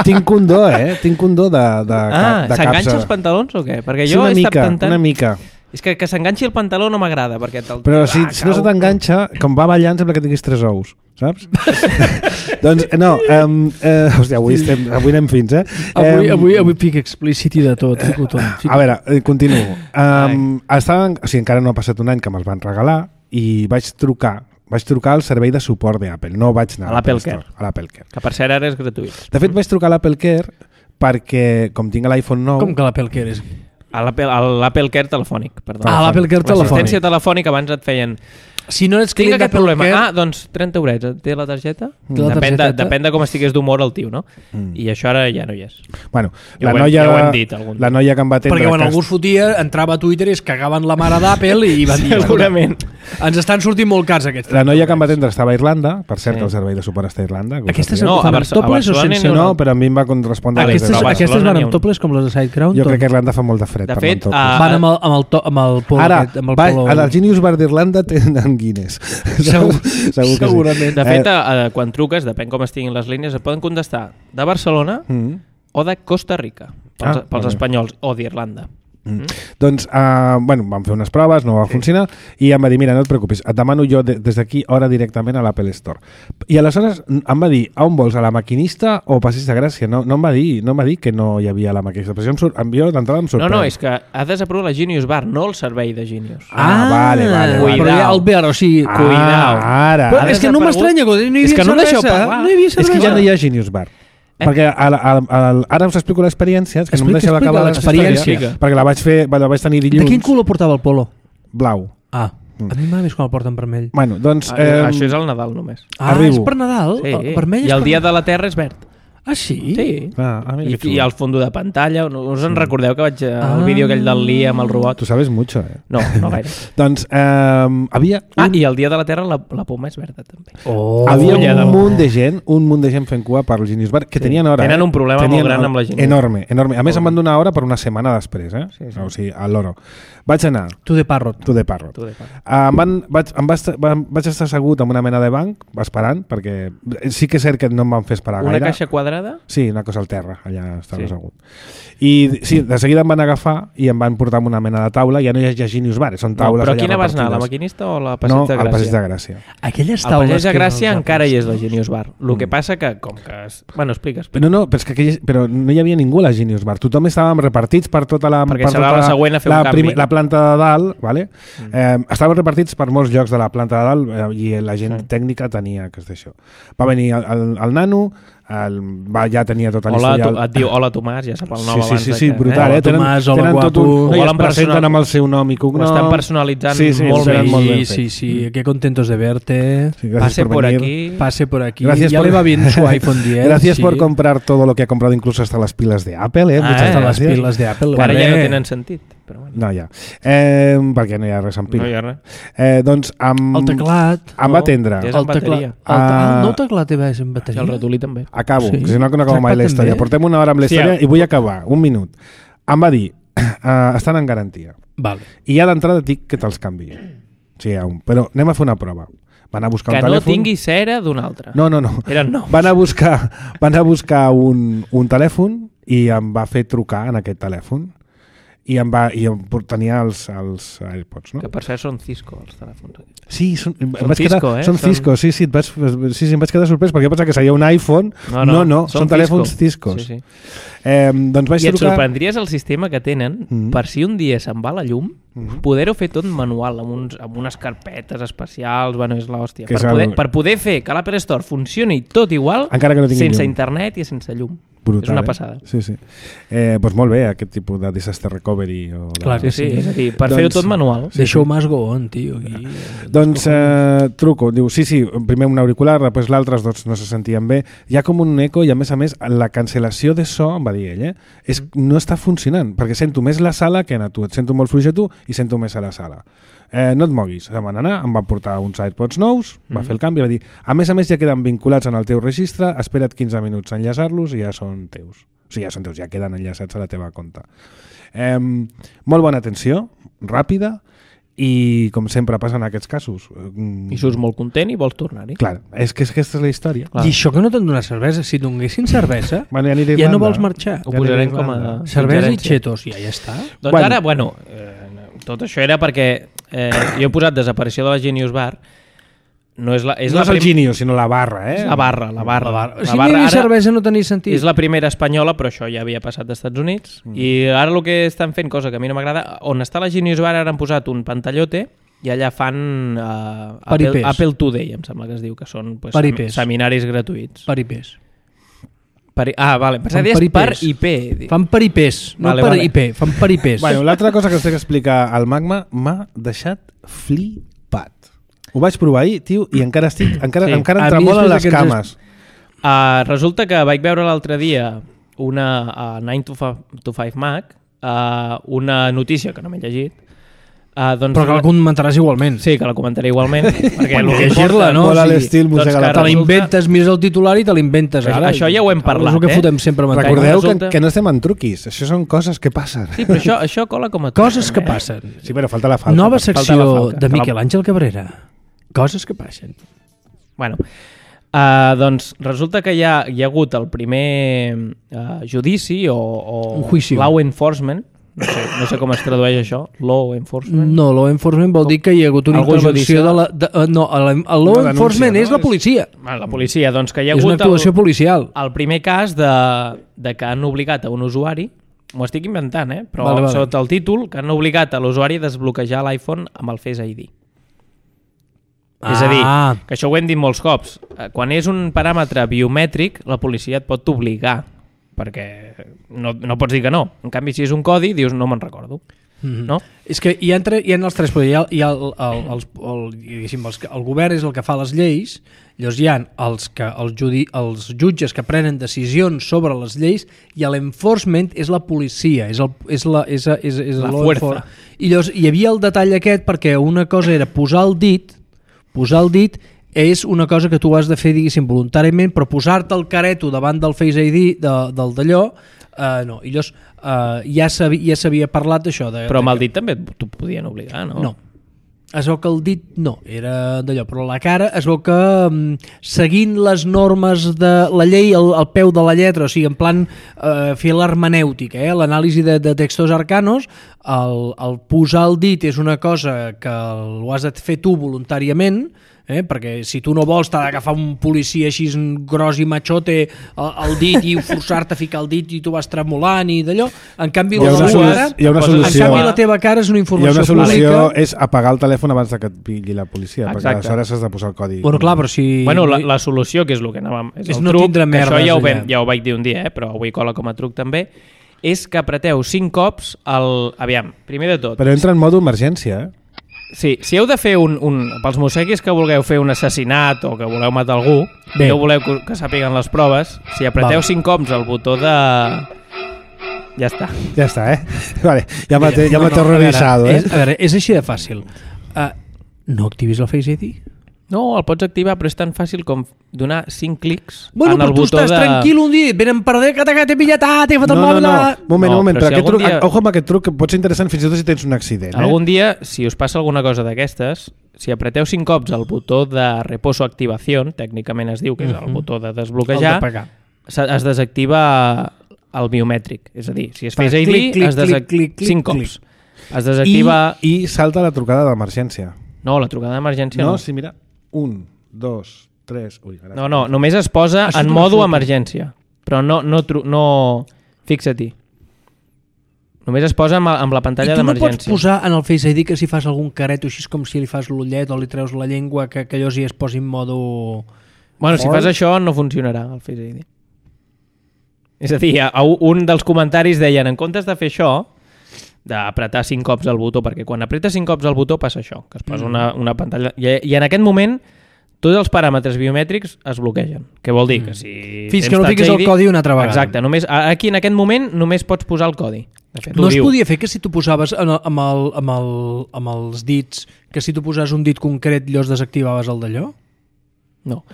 tinc un do, eh? Tinc un do de, de,
Ah,
de
s'enganxa
capsa.
els pantalons o què? Perquè
Sí,
jo
una
he
mica,
estat tentant...
una mica.
És que que s'enganxi el pantaló no m'agrada, perquè te'l...
Però si,
Ah,
si no se
cau.
t'enganxa, com va ballant, sembla que tinguis tres ous, saps? doncs, no, um, eh, hòstia, avui, estem, avui anem fins, eh?
Avui,
Em,
avui, avui pic explícit i de tot. Fico tot. Fico.
A veure, eh, continuo. Um, estaven, o sigui, encara no ha passat un any que me'ls van regalar i vaig trucar vaig trucar al servei de suport d'Apple, no vaig anar
A l'Apple
Store,
Care.
a l'Apple Care.
Que per cert ara és gratuït.
De fet, vaig trucar a l'Apple Care perquè, com tinc l'iPhone nou...
Com que l'Apple Care és...
A l'Apple a l'Apple Care telefònic, perdó.
Ah, l'Apple Care telefònic.
L'assistència telefònica abans et feien
Si no ets
Tinc
client
aquest
d'Apple
problema.
Care...
Ah, doncs trenta eurets. Té la targeta?
Té la
Depèn, de,
targeteta.
depèn de com estigués d'humor el tio, no?
Mm.
I això ara ja no hi és.
Bueno,
Ja
la
ho hem-
noia,
ja ho hem dit algun
la noia que em va atendre...
Perquè quan
que
algú es fotia, entrava a Twitter i es cagaven la mare d'Apple i van dir...
Segurament.
Ens estan sortint molt cars aquests.
La noia que em va atendre estava a Irlanda, per cert,
Sí.
que el servei de suport està a Irlanda. que ho
Aquestes
sàpiga.
No,
fan
a
amb
Barce- a
toples o
Barcelona
sense?
n'hi ha
No,
una.
però a mi em va correspondre...
Aquestes,
Però a
aquestes
Barcelona
van
n'hi ha
amb
un.
toples com les de Sidecrown?
Jo crec que a Irlanda fa molt de fred.
De
per
fet,
anar amb
a-
toples.
Van amb el, amb el, to, amb el polo
Ara,
aquest, amb el
va,
polo...
al Genius Bar d'Irlanda tenen Guinness.
Segur,
Segur que
segurament.
De
Eh,
fet, a, a, quan truques, depèn com estiguin les línies, et poden contestar de Barcelona
Mm.
o de Costa Rica, pels,
Ah,
pels
vale.
espanyols, o d'Irlanda.
Mm. Doncs, uh, bueno, vam fer unes proves, no va funcionar, i em va dir, mira, no et preocupis, et demano jo de, des d'aquí hora directament a l'Apple Store. I aleshores em va dir, a on vols, a la maquinista o Passeig de Gràcia? No, no em va dir no em va dir que no hi havia la maquinista. Però em surt, em, jo d'entrada em
No,
sorprèn.
no, és que ha desaprovat la Genius Bar, no el servei de Genius.
Ah, vale, vale, vale.
Però ja el Bar, o sigui...
Ah,
cuidao.
ara.
Però
ara
és que no m'estranya, que no hi havia
És que no deixeu
cervesa.
parlar.
No hi havia
és
cervesa.
que ja no hi ha Genius Bar. Eh? Perquè a, a, a, a, ara us explico l'experiència, és que no em
Explica,
deixeu
explica
acabar
l'experiència.
l'experiència, perquè la vaig fer, la vaig tenir
De
dilluns.
quin color portava el polo?
Blau.
Ah, a mi m'agrada més quan el porten vermell.
Bueno, doncs...
Ah,
Eh,
això és el Nadal només.
Ah,
arribo.
és per Nadal?
Sí.
El vermell és
I el
per...
dia de la Terra és verd.
Ah, sí?
Sí.
Ah, ah, mira
I,
que
I
xulo.
el fondo de pantalla, no us en recordeu que vaig
Ah.
al vídeo aquell del Lee amb el robot?
Tu sabes mucho, eh?
No, no gaire.
Doncs eh, havia
Ah,
un,
i el dia de la Terra la, la poma és verda també.
Oh,
havia
fulla
un
de-
munt de gent, un munt de gent fent cua per al Genius Bar, que
Sí.
tenien hora.
Tenen
eh?
un problema molt gran amb la Genius.
Enorme, enorme. A més, em van donar hora per una setmana després, eh?
Sí, sí.
O sigui, a l'oro. Vaig anar,
Tu de parrot.
tu de parrot.
Tu de part.
Uh, em van, vaig, em va estar, va- vaig estar assegut en una mena de banc, esperant, perquè sí que és cert que no em van fer esperar
Una
gaire.
caixa quadrada?
Sí, una cosa al terra, allà estava
Sí.
assegut. I sí, de seguida em van agafar i em van portar a una mena de taula, ja no hi ha Genius Bar, són
No,
taules
però
allà
quina vas anar, la
repartides.
maquinista o la Passeig
No,
de
al
Gràcia?
Passeig de Gràcia.
Aquelles
Al
taules
Passeig de
que
Gràcia
els
encara hi és la
apòstols.
Genius Bar. El
Mm.
que passa que, com que... Es... Bueno, expliques.
Però no, però, és que aquell, però no hi havia ningú a la Genius Bar. Tothom estàvem repartits per tota la,
Perquè
per
serà
tota
la següent a fer un
la,
canvi.
la planta de dalt, vale? Mm. Eh, estàvem repartits per molts llocs de la planta de dalt eh, i la gent
Sí.
tècnica tenia que és d'això. Va venir el, el, el nano, el, va, ja tenia tot
Hola,
l'historial.
tu, et diu hola Tomàs, ja sap el nom
Sí, sí,
abans
sí,
de
sí,
que...
brutal,
Hola,
eh? Tenen,
Tomàs, hola,
tenen tot
guapo.
un... No, I
Ho
es
han
presenten
personal-
amb el seu nom i
Ho
cognom.
estan personalitzant
Sí, sí,
molt
ho
bé.
tenen molt ben
Sí,
fet.
sí, sí, qué contentos de verte.
Sí, gracias
Pase por
venir.
aquí.
Pase por aquí.
Gracias
ya
por-
le va bien su iPhone diez.
Gracias
sí.
por comprar todo lo que ha comprado, incluso hasta las pilas de Apple, eh?
Ah,
Muchas
eh,
Hasta las
gracias.
pilas de Apple.
Que ara ja no
hombre.
tenen sentit. Però bueno,
No, ja. Eh, perquè no hi ha res amb pila.
no hi ha res.
Eh, doncs amb...
El teclat.
Em va atendre.
Ja és
El
amb bateria.
teclat. El, te...
Ah.
el nou teclat té és en
I
bateria.
el ratolí també.
Acabo,
Sí.
que si no, no acabo mai la
Trackpad
història.
també?
Portem una hora amb la
Sí,
història
ja.
i vull acabar. Un minut. Em va dir, uh, estan en garantia.
Vale.
I ja d'entrada et dic que te'ls canvi. Sí, hi ha un. Però anem a fer una prova. Van a buscar
Que
un
no
telèfon.
tingui cera d'un altre.
No, no, no.
Eren nous.
Van a buscar, van a buscar un, un telèfon i em va fer trucar en aquest telèfon i em va i em tenia els, els AirPods, no?
Que per cert són Cisco, els telèfons.
Sí, són, em
Són
vaig
Cisco,
quedar,
eh?
són
Són-
Cisco, sí, sí, et vaig, sí, sí, em vaig quedar sorprès perquè jo pensava que seria un iPhone. No, no, no són, són telèfons Ciscos.
Sí, sí.
Eh, doncs vaig
I et
trucar...
sorprendries el sistema que tenen
Mhm.
per si un dia se'n va la llum,
Mhm.
poder-ho fer tot manual, amb, uns, amb unes carpetes especials, bueno, és l'hòstia.
Que
Per,
és el-
poder, per poder fer que l'Apple Store funcioni tot igual,
Encara que no tingui
sense
llum.
internet i sense llum.
Brutal,
és una
eh?
passada.
Sí, sí. Eh, doncs molt bé, aquest tipus de disaster recovery. O de...
Clar
Sí,
que
sí,
sí.
és a dir, per
Doncs-
fer-ho tot manual.
Sí, Deixa-ho más go on, tio. Aquí.
Doncs eh, truco, diu, sí, sí, primer un auricular, després l'altre, els dos no se sentien bé. Hi ha com un eco i a més a més la cancel·lació de so, em va dir ell, eh, és, no està funcionant, perquè sento més la sala que a tu, et sento molt fluix a tu i sento més a la sala. Eh, no et moguis, em van anar, em van portar uns AirPods nous, va fer el canvi, va dir, a més a més ja queden vinculats en el teu registre, espera't quinze minuts a enllaçar-los i ja són teus. O sigui, ja són teus, ja queden enllaçats a la teva compte. Eh, molt bona atenció, ràpida, i com sempre passa en aquests casos. mm,
I surts molt content i vols tornar-hi.
Clar, és que, és que aquesta és la història.
Clar.
I això que no t'han donat cervesa, si donessin cervesa,
Bueno, ja, aniré a
ja no
Irlanda.
vols marxar.
Ho posarem com a...
Irlanda.
Cervesa i
suggerència.
chetos, i ja, ja està.
Doncs
Bueno.
ara, bueno, eh, tot això era perquè eh, jo he posat desaparició de la Genius Bar. No és la, és
no
la
és el
prim-
Genius, sinó la barra, eh?
és la barra, la barra.
La barra.
La
Si no hi
barra
havia
ara
cervesa no tenia sentit.
és la primera espanyola, però això ja havia passat dels Estats Units. Mm. I ara el que estan fent, cosa que a mi no m'agrada, on està la Genius Bar ara han posat un pantallote i allà fan uh, Apple,
Paripés.
Apple Today, em sembla que es diu, que són pues,
Paripés.
sem seminaris gratuïts.
Paripés.
Pari ah, vale, pensava que
Fan
deies per
paripés.
I P.
Fan paripés, no
Vale,
per
vale.
I P, fan paripés.
Bueno, l'altra cosa que us he d'explicar al Magma m'ha deixat flipat. Ho vaig provar ahir, tio, i encara estic, encara,
Sí.
sí. encara
A
em
mi
tremolen
després
les
d'aquests
cames.
Uh, resulta que vaig veure l'altre dia una uh, nine to five Mac, uh, una notícia que no m'he llegit. Uh, doncs,
Però que la comentaràs igualment.
Sí, que la comentaré igualment. perquè el que
llegir-la,
importa-
no?
Molt a
O sigui,
l'estil
doncs
Mossega
que
la
Te
Taula.
resulta-
l'inventes, mires el titular i te l'inventes
Això-
ara.
això ja ho hem parlat,
És el que
eh?
fotem sempre amb
Recordeu que,
resulta-
que no estem en truquis, això són coses que passen.
Sí, però això, això cola com a...
Coses que
eh?
passen.
Sí, però falta la falta.
Nova
falta la
secció
falca,
de
que la-
Miquel Àngel Cabrera. Coses que passen.
Bueno, uh, doncs resulta que hi ha, hi ha hagut el primer uh, judici o, o
Un juici.
law enforcement, no sé, no sé com es tradueix això, law enforcement.
No, law enforcement vol dir que hi ha hagut una
Algú
intervenció
judicial?
de la... De, uh, no, el, el law
Una denúncia,
enforcement
no?
és la policia.
Bueno, la policia, doncs que hi ha
És una
hagut
actuació
el,
policial.
el primer cas de, de que han obligat a un usuari, m'ho estic inventant, eh? però
Vale, vale.
sota el títol, que han obligat a l'usuari a desbloquejar l'iPhone amb el Face I D. Ah. És a dir,
Ah.
que això ho hem dit molts cops, eh, quan és un paràmetre biomètric, la policia et pot obligar, perquè no, no pots dir que no. En canvi, si és un codi, dius no me'n recordo.
Mm-hmm.
No?
És que hi ha, entre, hi ha els tres, però hi ha, hi ha el, el, el, el, diguéssim, els, que- el govern és el que fa les lleis, llavors hi ha els, que, els, judi, els jutges que prenen decisions sobre les lleis i l'enforcement és la policia, és, el, és la, és, és, és
La
law
fuerza.
enfor- I llavors hi havia el detall aquest perquè una cosa era posar el dit, posar el dit és una cosa que tu has de fer, diguéssim, voluntàriament, però posar-te el careto davant del Face I D de, del d'allò, uh, no. I llavors uh, ja s'havia ja s'havia parlat d'això. De,
Però
de
amb el
que-
dit també t'ho podien obligar, no?
No. Es veu que el dit no, era d'allò, però la cara es veu que um, seguint les normes de la llei al, al peu de la lletra, o sigui, en plan uh, fer l'hermenèutica, eh? L'anàlisi de, de textos arcanos, el, el posar el dit és una cosa que ho has de fer tu voluntàriament, eh? Perquè si tu no vols t'ha d'agafar un policia així gros i machote el, el dit i forçar-te a ficar el dit i tu vas tremolant i d'allò. En canvi,
Hi ha
la
una,
teva
solu
cara,
hi ha una
Poses-
en
solució.
canvi la teva cara és una
Hi ha
informació,
una solució,
pública.
és apagar el telèfon abans de que et pilli la policia, perquè
Exacte.
aleshores has de posar el codi.
Bueno, clar, però si...
Bueno, la, la solució, que és el que anàvem... És,
És
el
no
truc,
tindre
que
merdes
això ja ho, vam,
allà.
ja ho vaig dir un dia, eh? Però avui cola com a truc també, és que apreteu cinc cops el... Aviam, primer de tot...
Però entra en modo emergència, eh?
Sí, si heu de fer un, un... Pels mosseguis que vulgueu fer un assassinat o que voleu matar algú,
Bé.
i no voleu que, que sàpiguen les proves, si apreteu
Val.
cinc cops el botó de... Ja està.
Ja està, eh? Vale, ja m'ha ja m'ha
a
terrorizado,
veure,
eh?
És, a veure, és així de fàcil. Uh, no activis el Face I D?
No, el pots activar, però és tan fàcil com donar cinc clics
Bueno,
en el
però tu
botó
estàs
de...
tranquil un dia, venen per darrere, que t'he pillat, ah, t'he fet el
No, no,
mòbil...
no,
ah.
moment,
No,
moment,
però
però
si
aquest
algun
truc,
dia-
ojo amb aquest truc que pot ser interessant fins i tot si tens un accident, eh?
Algun dia, si us passa alguna cosa d'aquestes, si apreteu cinc cops el botó de reposo activació, tècnicament es diu que és el
Mhm.
botó de
El
desbloquejar,
d'apagar.
se- es desactiva el biomètric. És a dir, si es
Fa
fes I D,
clic, clic,
es desac...
clic, clic, clic,
cinc
clic.
cops. Es desactiva...
I, I salta la trucada d'emergència.
No, la trucada d'emergència
No,
no.
sí, mira. Un, dos, tres... Ui, ara...
No, no, només es posa
Això
en
és una
modo
foto.
emergència. Però no... no, tru... no... Fixa-t'hi. Només es posa amb, amb la
I
pantalla
tu no pots
d'emergència.
posar en el Face I D que si fas algun careto així com si li fas l'ullet o li treus la llengua, que, que allò sí es posi en modo...
Bueno, si
Fort.
fas això no funcionarà el Face I D. És a dir, a- a un dels comentaris deien, en comptes de fer això, d'apretar cinc cops el botó, perquè quan apretes cinc cops el botó passa això, que es posa una, una pantalla... I, I en aquest moment tots els paràmetres biomètrics es bloquegen. Què vol dir? Que si
Fins
tens
que no
Touch
fiquis
I
el
D
codi una altra vegada.
Exacte, només, aquí en aquest moment només pots posar el codi. De fet,
No
ho
es
diu.
podia fer que si tu posaves en el, amb, el, amb, el, amb els dits, que si tu posaves un dit concret llavors desactivaves el d'allò?
No.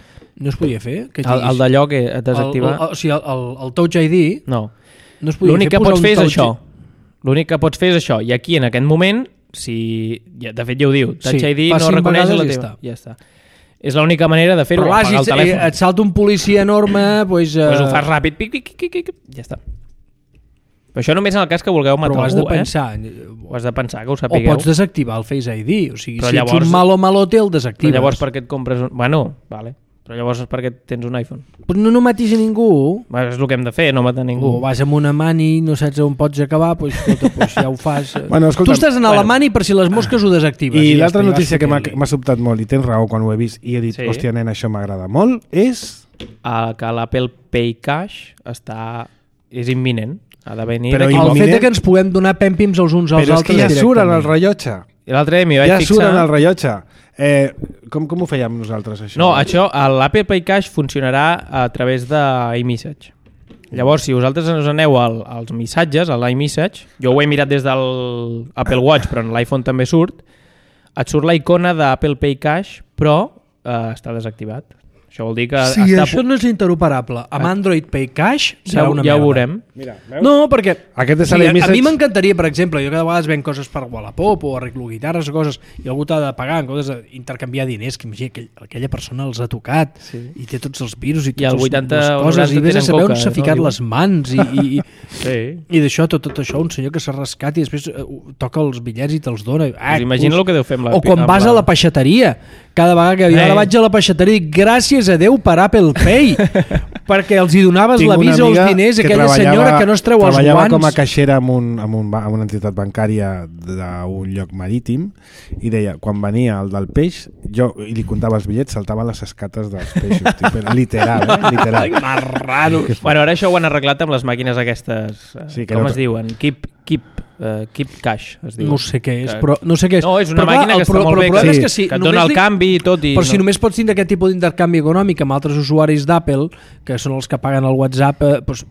No es podia fer? Que
El, el d'allò que et desactiva...
El, el, o sigui, el, el, el Touch I D
No.
no es podia
L'únic
fer
que
posar
pots
un
fer és
touch-
això. L'únic que pots fer és això. I aquí, en aquest moment, si... ja, de fet, ja ho diu. Touch
Sí,
I D
fa
no
cinc
reconeix
vegades
la
i
teva.
ja
Ja està. És l'única manera de fer-ho,
Però clar,
apagar el
si
telèfon.
et salta un policia enorme, doncs...
Pues ho
eh,
fas ràpid, pic, pic, pic, pic, ja està. Però això només en el cas que vulgueu
però
matar
ho has de
algú,
pensar.
eh? Ho has de pensar, que ho
O
sapigueu.
pots desactivar el Face I D. O sigui,
Però
si
llavors-
ets un malo malote, el
Però
desactives.
llavors per què et compres un... Bueno, vale. Però llavors és perquè tens un iPhone.
Però no, no matis a ningú.
Bueno, és el que hem de fer, no matar ningú.
O vas amb una mani i no saps on pots acabar, doncs, escolta, doncs ja ho fas.
Bueno, escolta,
tu estàs en
bueno.
la mani per si les mosques ho desactives.
I
ja
l'altra
està, i
notícia
vas
que m'ha
fotent-li.
m'ha sobtat molt, i tens raó quan ho he vist, i he dit,
Sí.
hòstia, nen, això m'agrada molt, és...
Ah, que l'Apple Pay Cash està... és imminent. Ha de venir
Però
d'aquí
El
poc.
fet de que ens puguem donar pèmpims els uns als
Però és
altres
que ja surt en el
directament.
rellotge.
I l'altre dia m'hi vaig
Ja
fixar...
surt en el rellotge. Eh, com, com ho fèiem nosaltres, això?
No, això, l'Apple Pay Cash funcionarà a través d'iMessage. Llavors, si vosaltres us aneu al, als missatges, a l'iMessage, jo ho he mirat des del Apple Watch, però en l'iPhone també surt, et surt la icona d'Apple Pay Cash, però eh, està desactivat. Això vol dir que...
Si
està...
això no és interoperable amb Android Pay Cash, serà
ja,
una
ja
merda.
ho veurem.
Mira, veus?
No, perquè
Aquest és
sí, a,
l'iMessage.
a mi m'encantaria, per exemple, jo cada vegada ven coses per Wallapop o arreglo guitarres o coses, i algú t'ha de pagar en comptes d'intercanviar diners, que imagina aquell, aquella persona els ha tocat sí. i té tots els virus i
I el
totes
vuitanta
les
o
coses, i vés a
tenen
saber
coca,
on s'ha
no?
ficat
Diuen.
les mans i, i,
Sí.
i d'això, tot, tot això, un senyor que s'ha rascat i després uh, toca els bitllets i te'ls dona. Ah,
Pues imagina el que deu fer amb la...
o quan
amb
vas
la...
a la peixateria, cada vegada que jo
Eh.
ara vaig a la peixateria, gràcies a Déu per Apple Pay, perquè els hi donaves
Tinc una
l'avís als
amiga
diners
que
aquella
treballava-
senyora que no es treu els
treballava
guants.
com a caixera en, un, en, un, ba- en una entitat bancària d'un lloc marítim i deia, quan venia el del peix, jo i li comptava els bitllets, saltaven les escates dels peixos. Tipo, literal, eh? Literal.
Marrano.
Bueno, ara això ho han arreglat amb les màquines aquestes... eh,
Sí, que
com
no-
es diuen? Keep, keep, uh, keep Cash, es diu.
No sé què és,
Que-
però no sé què és.
No, és una
Però, clar,
màquina que
el
està
pro-
molt
però
bé,
el problema
que-
és que si
que et
només
dona el
li-
canvi i tot. I
Però si
no.
només pots tindre aquest tipus d'intercanvi econòmic amb altres usuaris d'Apple, que són els que paguen el WhatsApp, eh, doncs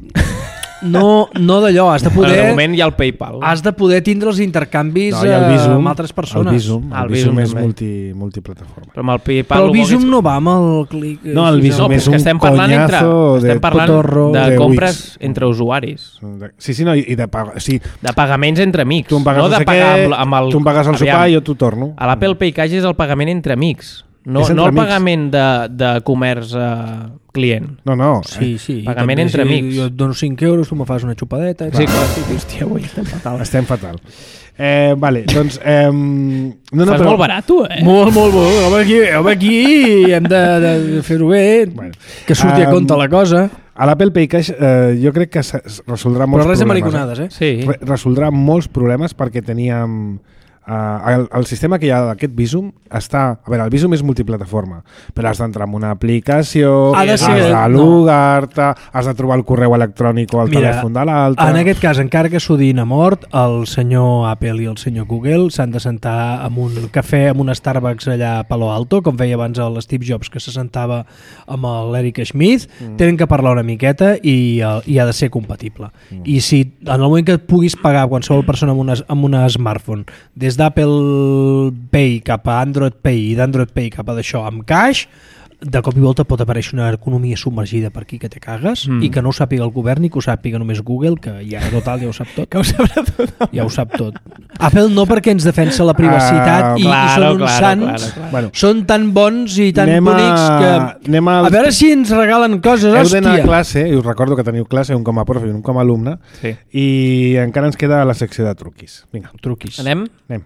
no, no d'allò, has de
Bueno, de
poder...
moment hi ha el PayPal.
Has de poder tindre els intercanvis
No, i el
eh,
Visum,
amb altres persones.
El Visum, el
Ah, el
Visum
Visum
és
també.
multi, multiplataforma.
Però amb el PayPal...
Però el
el bo que
Visum
és-
no va amb el clic...
No, el
així,
Visum
No,
és
és que
un
estem parlant entre,
coñazo de
estem parlant
cotorro
de,
de
compres
Wix.
entre usuaris.
Sí, sí, no, i de pagar... Sí,
De pagaments entre amics.
tu em pagues
no
no
de
sé
pagar
què,
amb, amb el...
tu em pagues el
Aviam,
sopar i jo t'ho torno.
A l'Apple Pay Cash és el pagament entre amics. No,
És entre
no el
amics.
pagament de, de comerç eh, client.
No, no.
Sí, sí.
Pagament
també,
entre
si
amics.
Jo et dono cinc euros, tu me fas una xupadeta.
Sí,
Sí,
clar, sí, hòstia, avui estem fatal.
Estem fatal. Eh, vale, doncs... Eh, no, no,
Fas
però,
molt barat, tu, eh?
Molt, molt, molt. Home, aquí, home, aquí hem de, de fer-ho bé,
Bueno.
que surti a
Um,
compte la cosa.
A l'Apple Pay Cash eh, jo crec que es resoldrà molts
Però res de
problemes.
mariconades, eh?
Sí.
Re resoldrà molts problemes perquè teníem... Uh, el, el sistema que hi ha d'aquest Visum està... A veure, el Visum és multiplataforma, però has d'entrar en una aplicació,
Ha de
has
ser-
de logar-te, has de trobar el correu electrònic o el
Mira,
telèfon de l'altre...
En aquest cas, encara que s'odin a mort, el senyor Apple i el senyor Google s'han de sentar en un cafè, en un Starbucks allà a Palo Alto, com feia abans el Steve Jobs, que se sentava amb l'Eric Schmidt, mm. tenen que parlar una miqueta i, uh, i ha de ser compatible. Mm. I si en el moment que puguis pagar qualsevol persona amb una, amb una smartphone, des d'Apple Pay cap a Android Pay i d'Android Pay cap a d'això amb cash, de cop i volta pot aparèixer una economia submergida per aquí que te cagues
Mm.
i que no ho sàpiga el govern i que ho sàpiga només Google, que ja total ja ho sap tot. Que ho sabrà tot. Ja ho sap tot. Apple no, perquè ens defensa la privacitat
Ah,
i,
claro,
i són uns
claro,
sants,
claro, claro.
Bueno,
són tan bons i tan
anem
bonics
a,
que...
anem a,
A veure si ens regalen coses,
heu d'anar a
hòstia.
classe, i us recordo que teniu classe, un com a profe i un com a alumne,
Sí.
i encara ens queda la secció de truquis. Vinga,
Truquis.
Anem?
anem.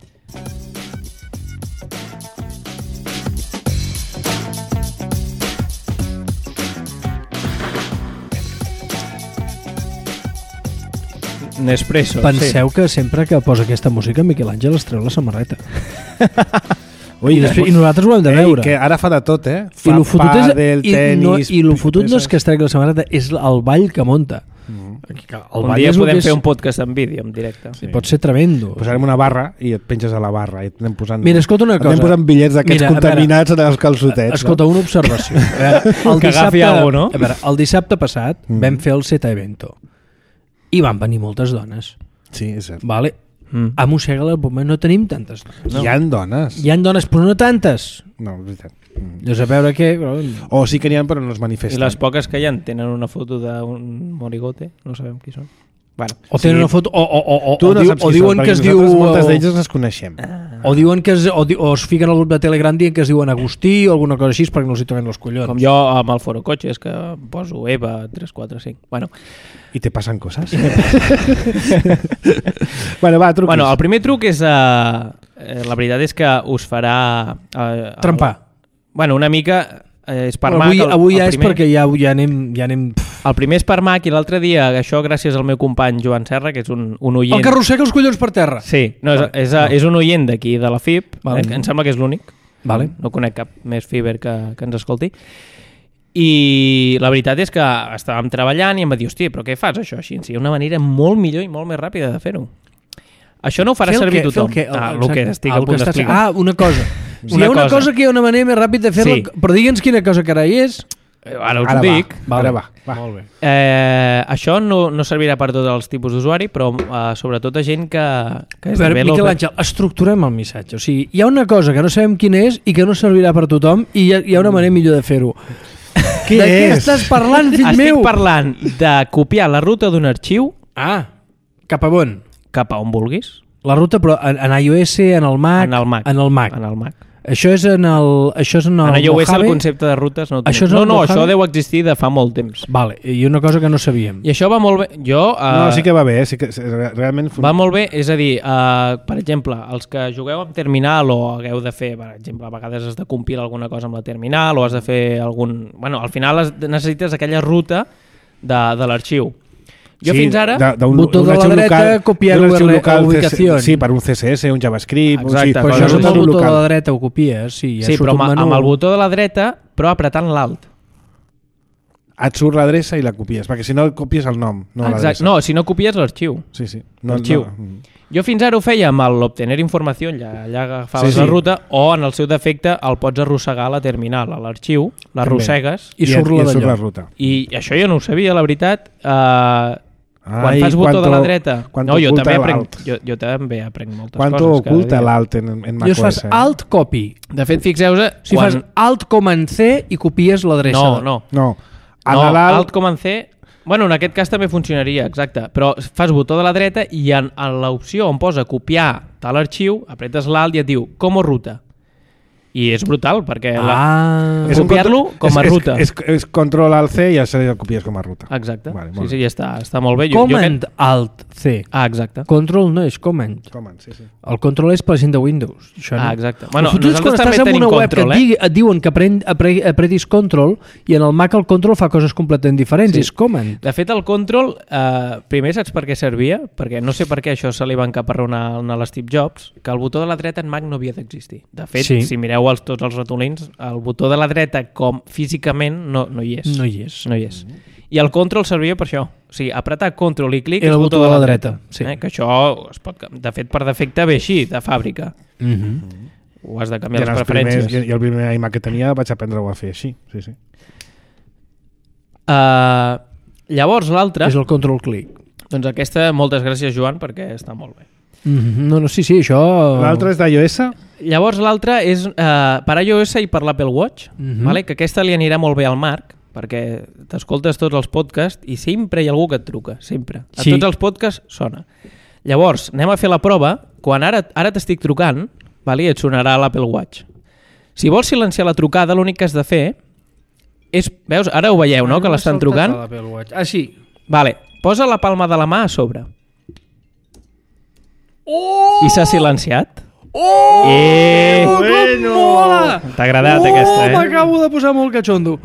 Nespresso.
Penseu que sempre que posa aquesta música Miquel Àngel es treu la samarreta.
Ui,
I, després, I nosaltres ho hem de
Ei,
veure.
que ara fa de tot, eh?
I
Fa
lo fotut és,
pàdel,
i,
tenis...
no, i lo fotut no és
peces.
que es tregui la samarreta, és el ball que monta.
Mm.
El
Un
ball
dia
és el
podem
que és,
fer un podcast en vídeo, en directe.
sí. Pot ser tremendo.
Posarem una barra i et penges a la barra i et anem posant...
Mira, escolta una
et anem
cosa.
posant bitllets d'aquests
Mira, a veure,
contaminats en els calçotets.
Escolta, una observació. A veure, el
Que agafi algú, no?
A veure, el dissabte passat
Mm.
vam fer el Zeta Evento i van venir moltes dones.
No? Sí, és cert.
Vale?
Mm.
A Mossega al moment no tenim tantes dones.
No. Hi ha dones.
Hi ha dones, però no tantes.
No, és veritat. Mm.
Llavors, a veure què... Però...
O sí que n'hi ha, però no es
I
manifesten.
les poques que hi ha tenen una foto d'un morigote, no sabem qui són. Bueno,
O tenen
Sí.
una foto... O, o, o, o,
Tu
o,
no
diu,
saps
o
qui
diuen
són,
que es
perquè
diu...
nosaltres moltes
o-
d'elles les coneixem.
O diuen que es, o, di- o es fiquen al grup de Telegram dient que es diuen Agustí o alguna cosa així perquè no els hi toquen els collons.
com jo amb el Foro Cotxes, que poso Eva tres quatre cinc. Bueno,
I te passen coses? bueno, va, truquis.
bueno, el primer truc és... Uh, eh, la veritat és que us farà... Uh,
Trampar.
Bueno, una mica... Eh, és per
Però
Mac.
avui,
el,
avui
el
ja és
primer.
perquè ja, ja anem... Ja anem...
El primer és per Mac i l'altre dia, això gràcies al meu company Joan Serra, que és un, un oient...
El que arrossega els collons per terra.
Sí, no, és,
Vale.
és, és, és un oient d'aquí de la F I P,
Vale.
eh, que em sembla que és l'únic.
Vale.
No conec cap més Fiber que, que ens escolti. I la veritat és que estàvem treballant i em va dir, hòstia, però què fas això així? Hi ha una manera molt millor i molt més ràpida de fer-ho. Això no ho farà
Fer el
servir
què?
tothom.
Fer el què?
Ah,
El-
el que
exacte.
estic
Ah,
a
el
punt
que estàs-
d'explicar.
Ah, una cosa. Si hi ha una cosa. cosa que hi ha una manera més ràpida de fer-la, sí. Però digue'ns quina cosa carai és.
Ara us Ara ho dic.
Va. Vale. Ara va. va.
Molt bé.
Eh, això no, no servirà per tots els tipus d'usuari, però eh, sobretot a gent que... que és
per Miquel Àngel, estructurem el missatge. O sigui, hi ha una cosa que no sabem quina és i que no servirà per tothom i hi ha, hi ha una manera millor de fer-ho.
Què
de
és?
què estàs parlant, fill
Estic
meu?
Estic parlant de copiar la ruta d'un arxiu...
Ah, cap a on?
Cap a on vulguis.
La ruta, però en, en iOS, en el Mac...
En el Mac.
En el Mac.
En el Mac.
Això és en el... Això és en el
en iOS
Mojave?
El concepte de rutes no...
Això
no, no,
Mojave?
això deu existir de fa molt temps.
Vale, i una cosa que no sabíem.
I això va molt bé. Jo... Uh,
no, sí que va bé, sí que realment...
Va molt bé, és a dir, uh, per exemple, els que jugueu amb terminal o hagueu de fer, per exemple, a vegades has de compilar alguna cosa amb la terminal o has de fer algun... Bueno, al final necessites aquella ruta de, de l'arxiu. Jo sí, fins ara...
De, un botó de la dreta, local, copiar la ubicació.
Sí, per un C S S, un JavaScript...
Exacte.
Però això amb el botó de la dreta ho copies. Sí, ja
sí però amb, amb el botó de la dreta, però apretant l'alt.
Et surt l'adreça i la copies, perquè si no copies el nom, no l'adreça.
No, si no copies l'arxiu.
Sí, sí.
No, l'arxiu. No. Jo fins ara ho feia amb l'obtenir informació, allà, allà agafaves sí, sí. la ruta, o en el seu defecte el pots arrossegar a la terminal, a l'arxiu, l'arrossegues
i, i surt,
i,
la,
i surt la ruta.
I això jo no ho sabia, la veritat. Uh, quan Ai, fas botó de la dreta... No, jo també, aprenc, jo, jo també aprenc moltes
Quanto
coses.
Quanto oculta l'alt en, en macOS?
Jo fas
eh?
alt copy.
De fet, fixeu-vos...
Si quan... fas alt com en C i copies l'adreça.
No, no.
No,
no alt com en C... Bueno, en aquest cas també funcionaria, exacte. Però fas botó de la dreta i en, en l'opció on posa copiar tal arxiu, apretes l'alt i et diu com ruta. I és brutal, perquè
ah,
copiar-lo com a
és,
ruta.
És, és, és control alt C i ja se el copies com a ruta.
Exacte.
Vale,
sí, sí, ja està, està molt bé.
Command jo, jo aquest... alt C.
Ah, exacte.
Control no és command.
Command, sí, sí.
El control és per la gent de Windows. Això no.
Ah, exacte. Bueno,
nosaltres també tenim control, que et, digui, et diuen que aprend, apre, apretis control i en el Mac el control fa coses completament diferents. Sí. És command.
De fet, el control, eh, primer saps per què servia? Perquè no sé per què això se li va encaparronar a l'Steve Jobs, que el botó de la dreta en Mac no havia d'existir. De fet, sí. si mireu els, tots els ratolins, el botó de la dreta com físicament no, no hi és.
No hi és.
No hi és. I el control servia per això. O sigui, apretar control i clic
és el botó de la dreta. dreta. Sí.
Eh? Que això, es pot, de fet, per defecte ve així, de fàbrica.
Mm-hmm.
Ho has de canviar
I
les preferències.
Primers, I el primer iMac que tenia vaig aprendre-ho a fer així. Sí, sí.
Uh, llavors, l'altre...
És el control clic.
Doncs aquesta, moltes gràcies, Joan, perquè està molt bé.
Mm-hmm. No, no, sí, sí, això...
L'altre és d'iOS?
Llavors l'altre és uh, per iOS i per l'Apple Watch, mm-hmm. vale? Que aquesta li anirà molt bé al Marc, perquè t'escoltes tots els podcasts i sempre hi ha algú que et truca, sempre. A sí. Tots els podcasts sona. Llavors, anem a fer la prova. Quan ara, ara t'estic trucant, vale? Et sonarà l'Apple Watch. Si vols silenciar la trucada, l'únic que has de fer és... Veus? Ara ho veieu, no? Que l'estan trucant.
Ah, sí.
Vale. Posa la palma de la mà a sobre.
Oh!
I s'ha silenciat.
Oh!
Eh!
Bueno!
T'ha agradat
oh,
aquesta, eh?
M'acabo de posar molt catxondo.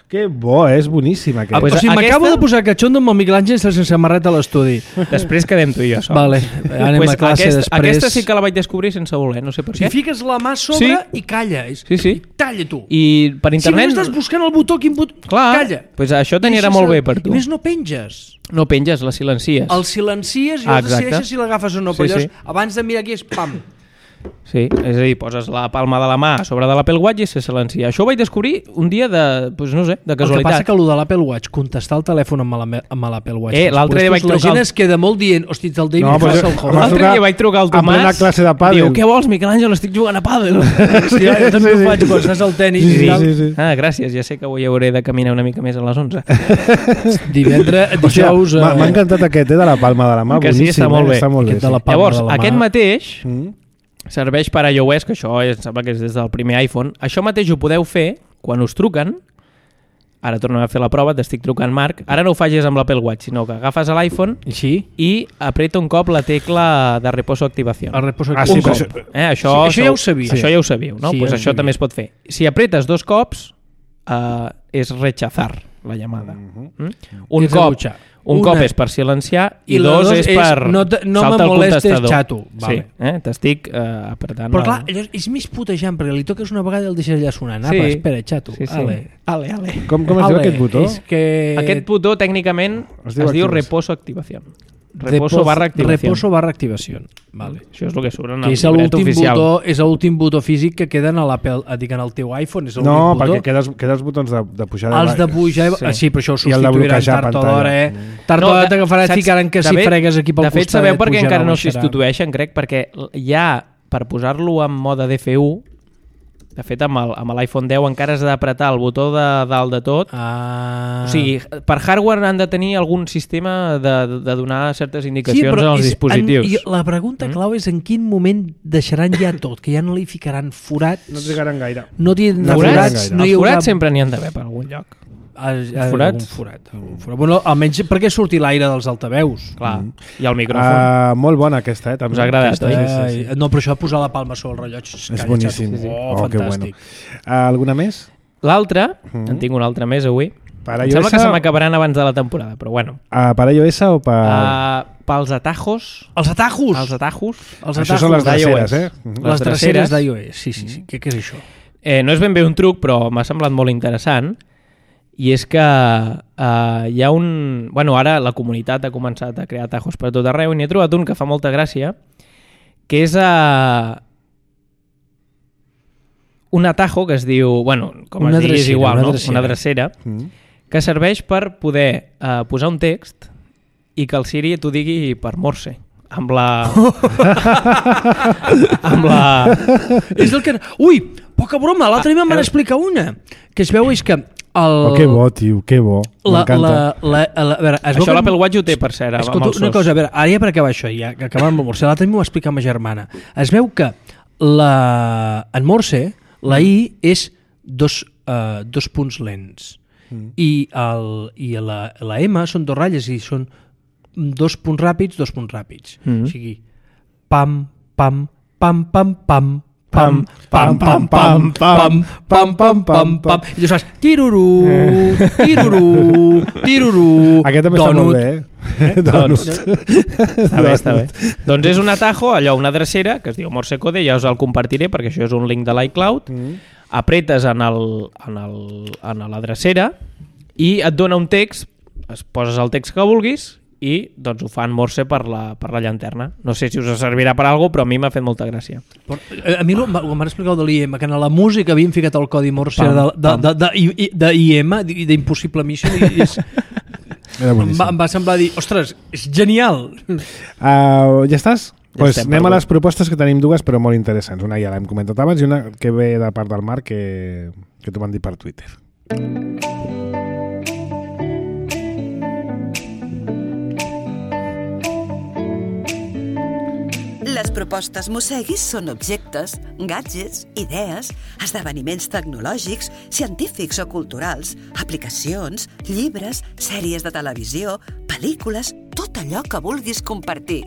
Que bo, és boníssim aquest.
Ah, pues o sigui, aquesta... m'acabo de posar catxondo amb el Miquel Àngel sense samarreta a l'estudi.
Després quedem tu i jo sols.
Vale, anem pues a classe
aquest,
després.
Aquesta sí que la vaig descobrir sense voler, no sé per
si
què.
Si fiques la mà sobre sí. I calla.
Sí, sí.
I talla tu.
I per internet...
Si no estàs buscant el botó, quin botó...
Clar,
calla.
Pues això t'anirà molt bé per tu.
I més no penges.
No penges, la silencies.
El silencies i ah, els decideixes si l'agafes o no.
Sí,
però
sí.
Llavors, abans de mirar aquí és pam.
Sí, és a dir, poses la palma de la mà a sobre de l'Apple Watch i se silencia. Això ho vaig descobrir un dia de, pues no sé, de casualitat.
El que passa que el de l'Apple Watch, contestar el telèfon amb l'Apple Watch...
Eh, l'altre dia vaig trucar...
La gent es queda molt dient, hosti, el David no,
pues,
el home.
L'altre dia vaig trucar al Tomàs...
A classe de pàdel.
Diu, què vols, Miquel Àngel? Estic jugant a pàdel.
Sí, jo també ho faig quan estàs al tenis
sí,
i tal.
Sí, sí.
Ah, gràcies, ja sé que avui hauré de caminar una mica més a les onze.
Divendres, dijous...
M'ha encantat aquest, eh, de la palma de la mà.
Que sí, està molt bé. Llavors, aquest mateix... serveix per a iOS, que això és, sembla que és des del primer iPhone. Això mateix ho podeu fer quan us truquen. Ara tornem a fer la prova, t'estic trucant, Marc. Ara no ho facis amb l'Apple Watch, sinó que agafes l'iPhone
sí?
I apreta un cop la tecla de reposo activació.
El reposo
ah,
activació.
Un cop. Eh, això,
sí, això ja ho sabia.
Això ja ho sabíeu, no?
Sí,
pues
ja
això
sabia.
també es pot fer. Si apretes dos cops, uh, és rechazar la llamada. Mm-hmm. Mm? Un
és
cop... Un
Una.
cop és per silenciar i,
i
dos,
dos
és per
no, no
saltar el contestador.
Xato. Vale.
Sí, eh? T'estic uh, apretant.
Però clar, allò és més putejant, perquè li toques una vegada i el deixes allà sonant.
Sí.
Apa, espera, xato.
Sí, sí.
Ale.
Ale, ale.
Com, com es diu aquest botó?
És que...
Aquest botó tècnicament es diu, es diu reposo activació. Reposo barra activación.
Reposo barra activació. Vale.
Això és el que surt en
Que
el
és
llibret
l'últim
oficial.
botó, és l'últim botó físic que queda en l'Apple, dic, en el teu iPhone, és l'únic
No,
botó.
perquè queda els, queda els botons de, de pujada.
Els de pujar...
Sí.
Sí, sí però això ho
I el de
substituiran
bloquejar
tard o
pantalla.
d'hora, eh?
Mm.
Tard o
No,
d'hora
de-
t'agafarà
saps-
ficaran que
de
si
fet-
fregues aquí pel
De fet,
costat...
sabeu per què
pujarà
encara
o
no
baixarà.
substitueixen, crec? Perquè hi ha, per posar-lo en mode D F U, de fet, amb el- amb l'iPhone deu encara has d'apretar el botó de dalt de tot.
Ah.
O sigui, per hardware han de tenir algun sistema de, de donar certes
Sí,
indicacions
però
als
és-
dispositius.
En, i la pregunta clau és en quin moment deixaran ja tot, que ja no li ficaran forats,
No trigaran gaire.
no tindran
No
forats,
forats,
no hi
els
haurà...
forats sempre n'hi han d'haver per algun lloc.
Ah, ah,
forats?
algun forat, algun forat. Bueno, almenys perquè surti l'aire dels altaveus.
Clar, i el micròfon.
Uh, molt bona aquesta, eh? També.
Us ha agradat,
aquesta,
oi?
sí, sí, sí.
No, però això de posar la palma sobre el rellotge...
És boníssim.
Sí, sí. Oh,
Oh, que
fantàstic.
bueno. Uh, alguna més?
L'altra,
Mhm.
en tinc una altra més avui,
Per
em sembla
iOS
que se
o-
m'acabaran abans de la temporada, però bueno.
Uh, per iOS o per...
Uh, pels atajos...
Els atajos!
Els atajos...
Els
Això
atajos
són les
d'iOS.
dreceres, eh?
les
les
dreceres
dreceres
d'iOS. Sí, sí, sí. Què, què és això?
Eh, no és ben bé un truc, però m'ha semblat molt interessant, i és que uh, hi ha un... Bueno, ara la comunitat ha començat a crear atajos per tot arreu, i n'hi he trobat un que fa molta gràcia, que és uh, un atajo que es diu... Bueno, com
Una
es digui és
drecera,
igual,
una
no?
drecera.
Una drecera,
Mm.
que serveix per poder uh, posar un text i que el Siri t'ho digui per Morse, amb la... amb la...
És el que... Ui, poca broma, l'altre dia me'n van explicar una. Que es veu és que... El...
Oh, que bo, tio, que bo.
La,
M'encanta.
la, la, la, a veure, es veu
Això
que-
l'Apple Watch ho té, per cert, amb
Escolta,
els
una
sos.
cosa, a veure, ara ja per acabar això, ja que acabem amb el Morse, l'altre m'ho va explicar ma germana. Es veu que la, en Morse la I és dos, uh, dos punts lents mm. i, el, i la, la M són dos ratlles i són dos punts ràpids, dos punts ràpids.
Mm.
O sigui, pam, pam, pam, pam, pam, pam, pam, pam, pam, pam, pam, pam, pam, pam, i tu saps, tirurú, tirurú, tirurú,
Aquest també està molt bé, eh?
Doncs, està bé, està bé. Doncs és un atajo, allò, una drecera, que es diu Morse Code, ja us el compartiré perquè això és un link de l'iCloud,
Mm.
apretes en, el, en, el, en la drecera i et dona un text, es poses el text que vulguis i doncs ho fa en Morse per la, per la llanterna. No sé si us servirà per alguna cosa, però a mi m'ha fet molta gràcia.
Però, eh, a mi ho m'han explicat de l'I M, que en la música havien ficat el codi Morse
Pam,
de, de,
pam.
de, de, de, de I M, d'Impossible Mission, i és,
Era
em,
boníssim.
va, em va semblar dir, ostres, és genial!
Uh, ja estàs?
Ja
Pues
estem,
anem
per
a les propostes, que tenim dues però molt interessants. Una ja l'hem comentat abans i una que ve de part del Marc que, que t'ho van dir per Twitter.
Les propostes Mosseguis són objectes, gadgets, idees, esdeveniments tecnològics, científics o culturals, aplicacions, llibres, sèries de televisió, pel·lícules, tot allò que vulguis compartir.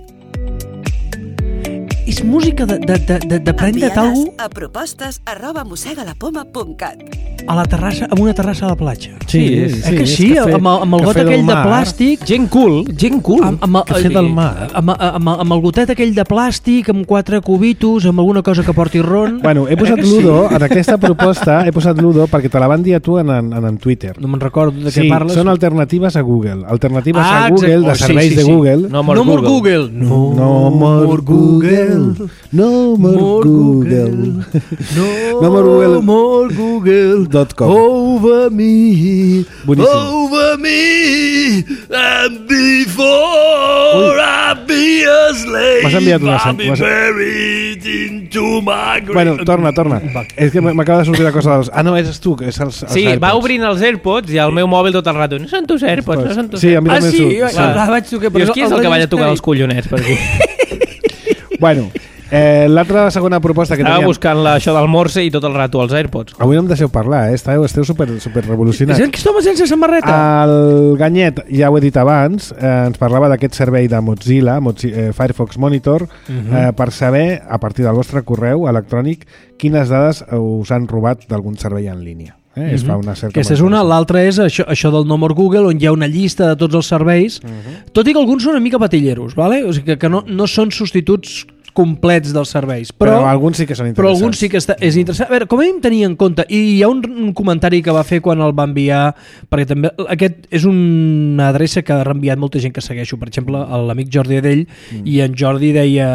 És música de, de, de, de, de prendre't
Envia-les
algú
a propostes arroba mossegalapoma punt cat.
a la terrassa, amb una terrassa a la platja.
Sí,
eh que
és
sí,
cafè-
amb, el- amb el got
cafè del
aquell de
mar.
plàstic...
Gent cool, gent cool.
Amb, amb, el-
Cafè del mar.
Amb, amb, amb el gotet aquell de plàstic, amb quatre cubitos, amb alguna cosa que porti ron...
Bueno, he posat
Eh que sí?
Ludo, en aquesta proposta he posat Ludo perquè te la van dir a tu en, en, en Twitter.
No me'n recordo de què
Sí,
parles.
són alternatives a Google. Alternatives
Ah,
a Google,
exacte.
de
Oh, sí,
serveis
sí,
de
sí.
Google.
No more
No more
Google.
Google. No,
No more Google. No more
More
Google.
No,
No more Google.
more Google.
Dot com.
Over me.
Boníssim.
Over me. And before I be a slave,
M'has enviat una sen-
I'll be
m'has-
buried into my grave.
Bueno, torna, torna. És que m'acaba de sortir la cosa dels... Ah, no, és tu, que és els, els
Sí,
AirPods.
va obrint els AirPods i el meu mòbil tot el rato. No són tus AirPods, no són tus
Sí, a mi
Ah,
també
sí?
surt.
Ah, ah, vaig tocar, però
Dius, qui és
no-
el que
el
balla a tocar
Display.
els collonets per aquí?
Bueno, eh, l'altra segona proposta que
Estava
teníem...
buscant la, això del Morse i tot el rato els AirPods.
Avui no em deixeu parlar, eh? Esteu, esteu super, super revolucionats.
És que home sense samarreta.
El Ganyet, ja ho he dit abans, eh, ens parlava d'aquest servei de Mozilla, Mozilla eh, Firefox Monitor, uh -huh. eh, per saber, a partir del vostre correu electrònic, quines dades us han robat d'algun servei en línia. Eh? Uh -huh. Es fa una cerca.
Aquesta és una, l'altra és això, això del No More Google, on hi ha una llista de tots els serveis, uh -huh. tot i que alguns són una mica patilleros, vale? O sigui que, que no, no són substituts complets dels serveis.
Però,
Però,
però alguns sí que són
però
interessants.
alguns sí que està, és interessant. A veure, com a mínim tenir en compte, i hi ha un, un comentari que va fer quan el va enviar, perquè també aquest és una adreça que ha reenviat molta gent que segueixo, per exemple, l'amic Jordi Adell, mm. i en Jordi deia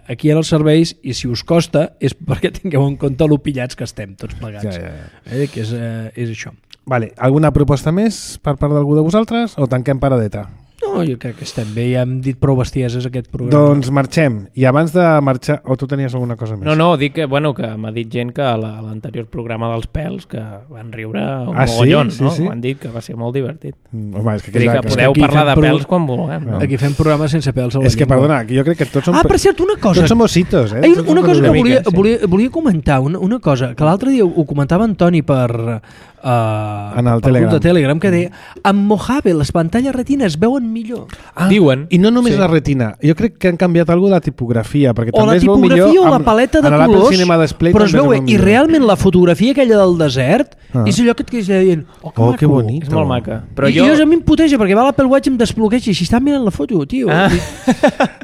aquí en els serveis, i si us costa és perquè tingueu en compte lo pillats que estem tots plegats.
Ja, ja, ja.
Eh, que és, eh, és això.
Vale. Alguna proposta més per part d'algú de vosaltres o tanquem paradeta?
No, jo crec que estem bé, ja hem dit prou bestieses aquest programa.
Doncs marxem. I abans de marxar... O tu tenies alguna cosa més?
No, no, dic que, bueno, que m'ha dit gent que a l'anterior programa dels pèls que van riure un
ah,
mogollon,
sí?
no?
Sí, sí.
M'han dit que va ser molt divertit.
Mm, home, és que,
Vull dir que
que,
podeu
aquí
parlar de
fem
pèls
pro-
quan vulguem. No?
Aquí fem programes sense pèls a la
és que,
llengua.
perdona, que jo crec que tots som...
Ah, per cert, una cosa.
Tots som ositos, eh?
Ai,
Tots
una
som
cosa que
una
volia,
mica, sí.
volia, volia comentar, una, una cosa, que l'altre dia ho comentava en Toni per, uh,
En el
per
Telegram.
grup de Telegram, que deia, amb Mojave les pantalles retina es veuen millor.
Ah,
Diuen.
I no només
Sí.
la retina. Jo crec que han canviat alguna de la tipografia, perquè
O
també
la
es veu
tipografia
millor
o la
amb-
paleta de
en l'Apple
colors,
Cinema Display
però es
també
veu bé. I
millor.
realment la fotografia aquella del desert
Ah.
és allò que et quedes dient, oh, que
Oh,
maco.
que bonic.
És molt maca. Però
I,
jo...
I jo a mi em puteja perquè va a l'Apple Watch i em desbloqueja i si estan mirant la foto, tio.
Ah.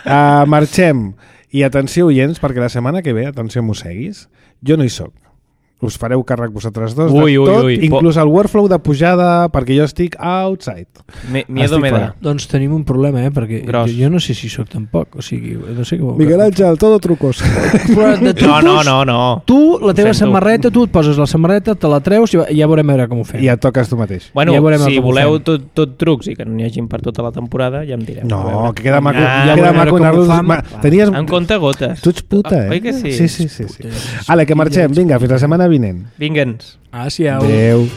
Uh, marxem. I atenció, oients, perquè la setmana que ve, atenció, mosseguis, jo no hi soc. Us fareu càrrec vosaltres dos
Ui,
de
ui,
tot,
ui.
inclús el workflow de pujada, perquè jo estic outside.
Me, miedo
Estic
me
fora.
da.
Doncs tenim un problema, eh? Perquè
Gros.
jo, jo no sé si sóc tampoc, o sigui, no sé què...
Miguel Ángel, todo trucos.
Però de
No, no,
trucos,
no, no.
Tu, la teva
Ho sento.
samarreta, tu et poses la samarreta, te la treus i ja veurem a veure com ho fem.
I et toques tu mateix.
Bueno,
Ja veurem
si
com ho
voleu
fem.
tot, tot trucs i que no n'hi hagin per tota la temporada, ja em direu. A
No,
veure.
que queda maco.
Ah,
ja queda
veurem
maco
com ho
anar-los...
fam.
Ma, tenies...
En compte gotes.
Tu ets puta, eh?
Oi que sí?
Sí, sí, sí. sí. Ale, que marxem. Vinga, fins la setmana vinent.
Vingue'ns.
Gràcies.
Adéu.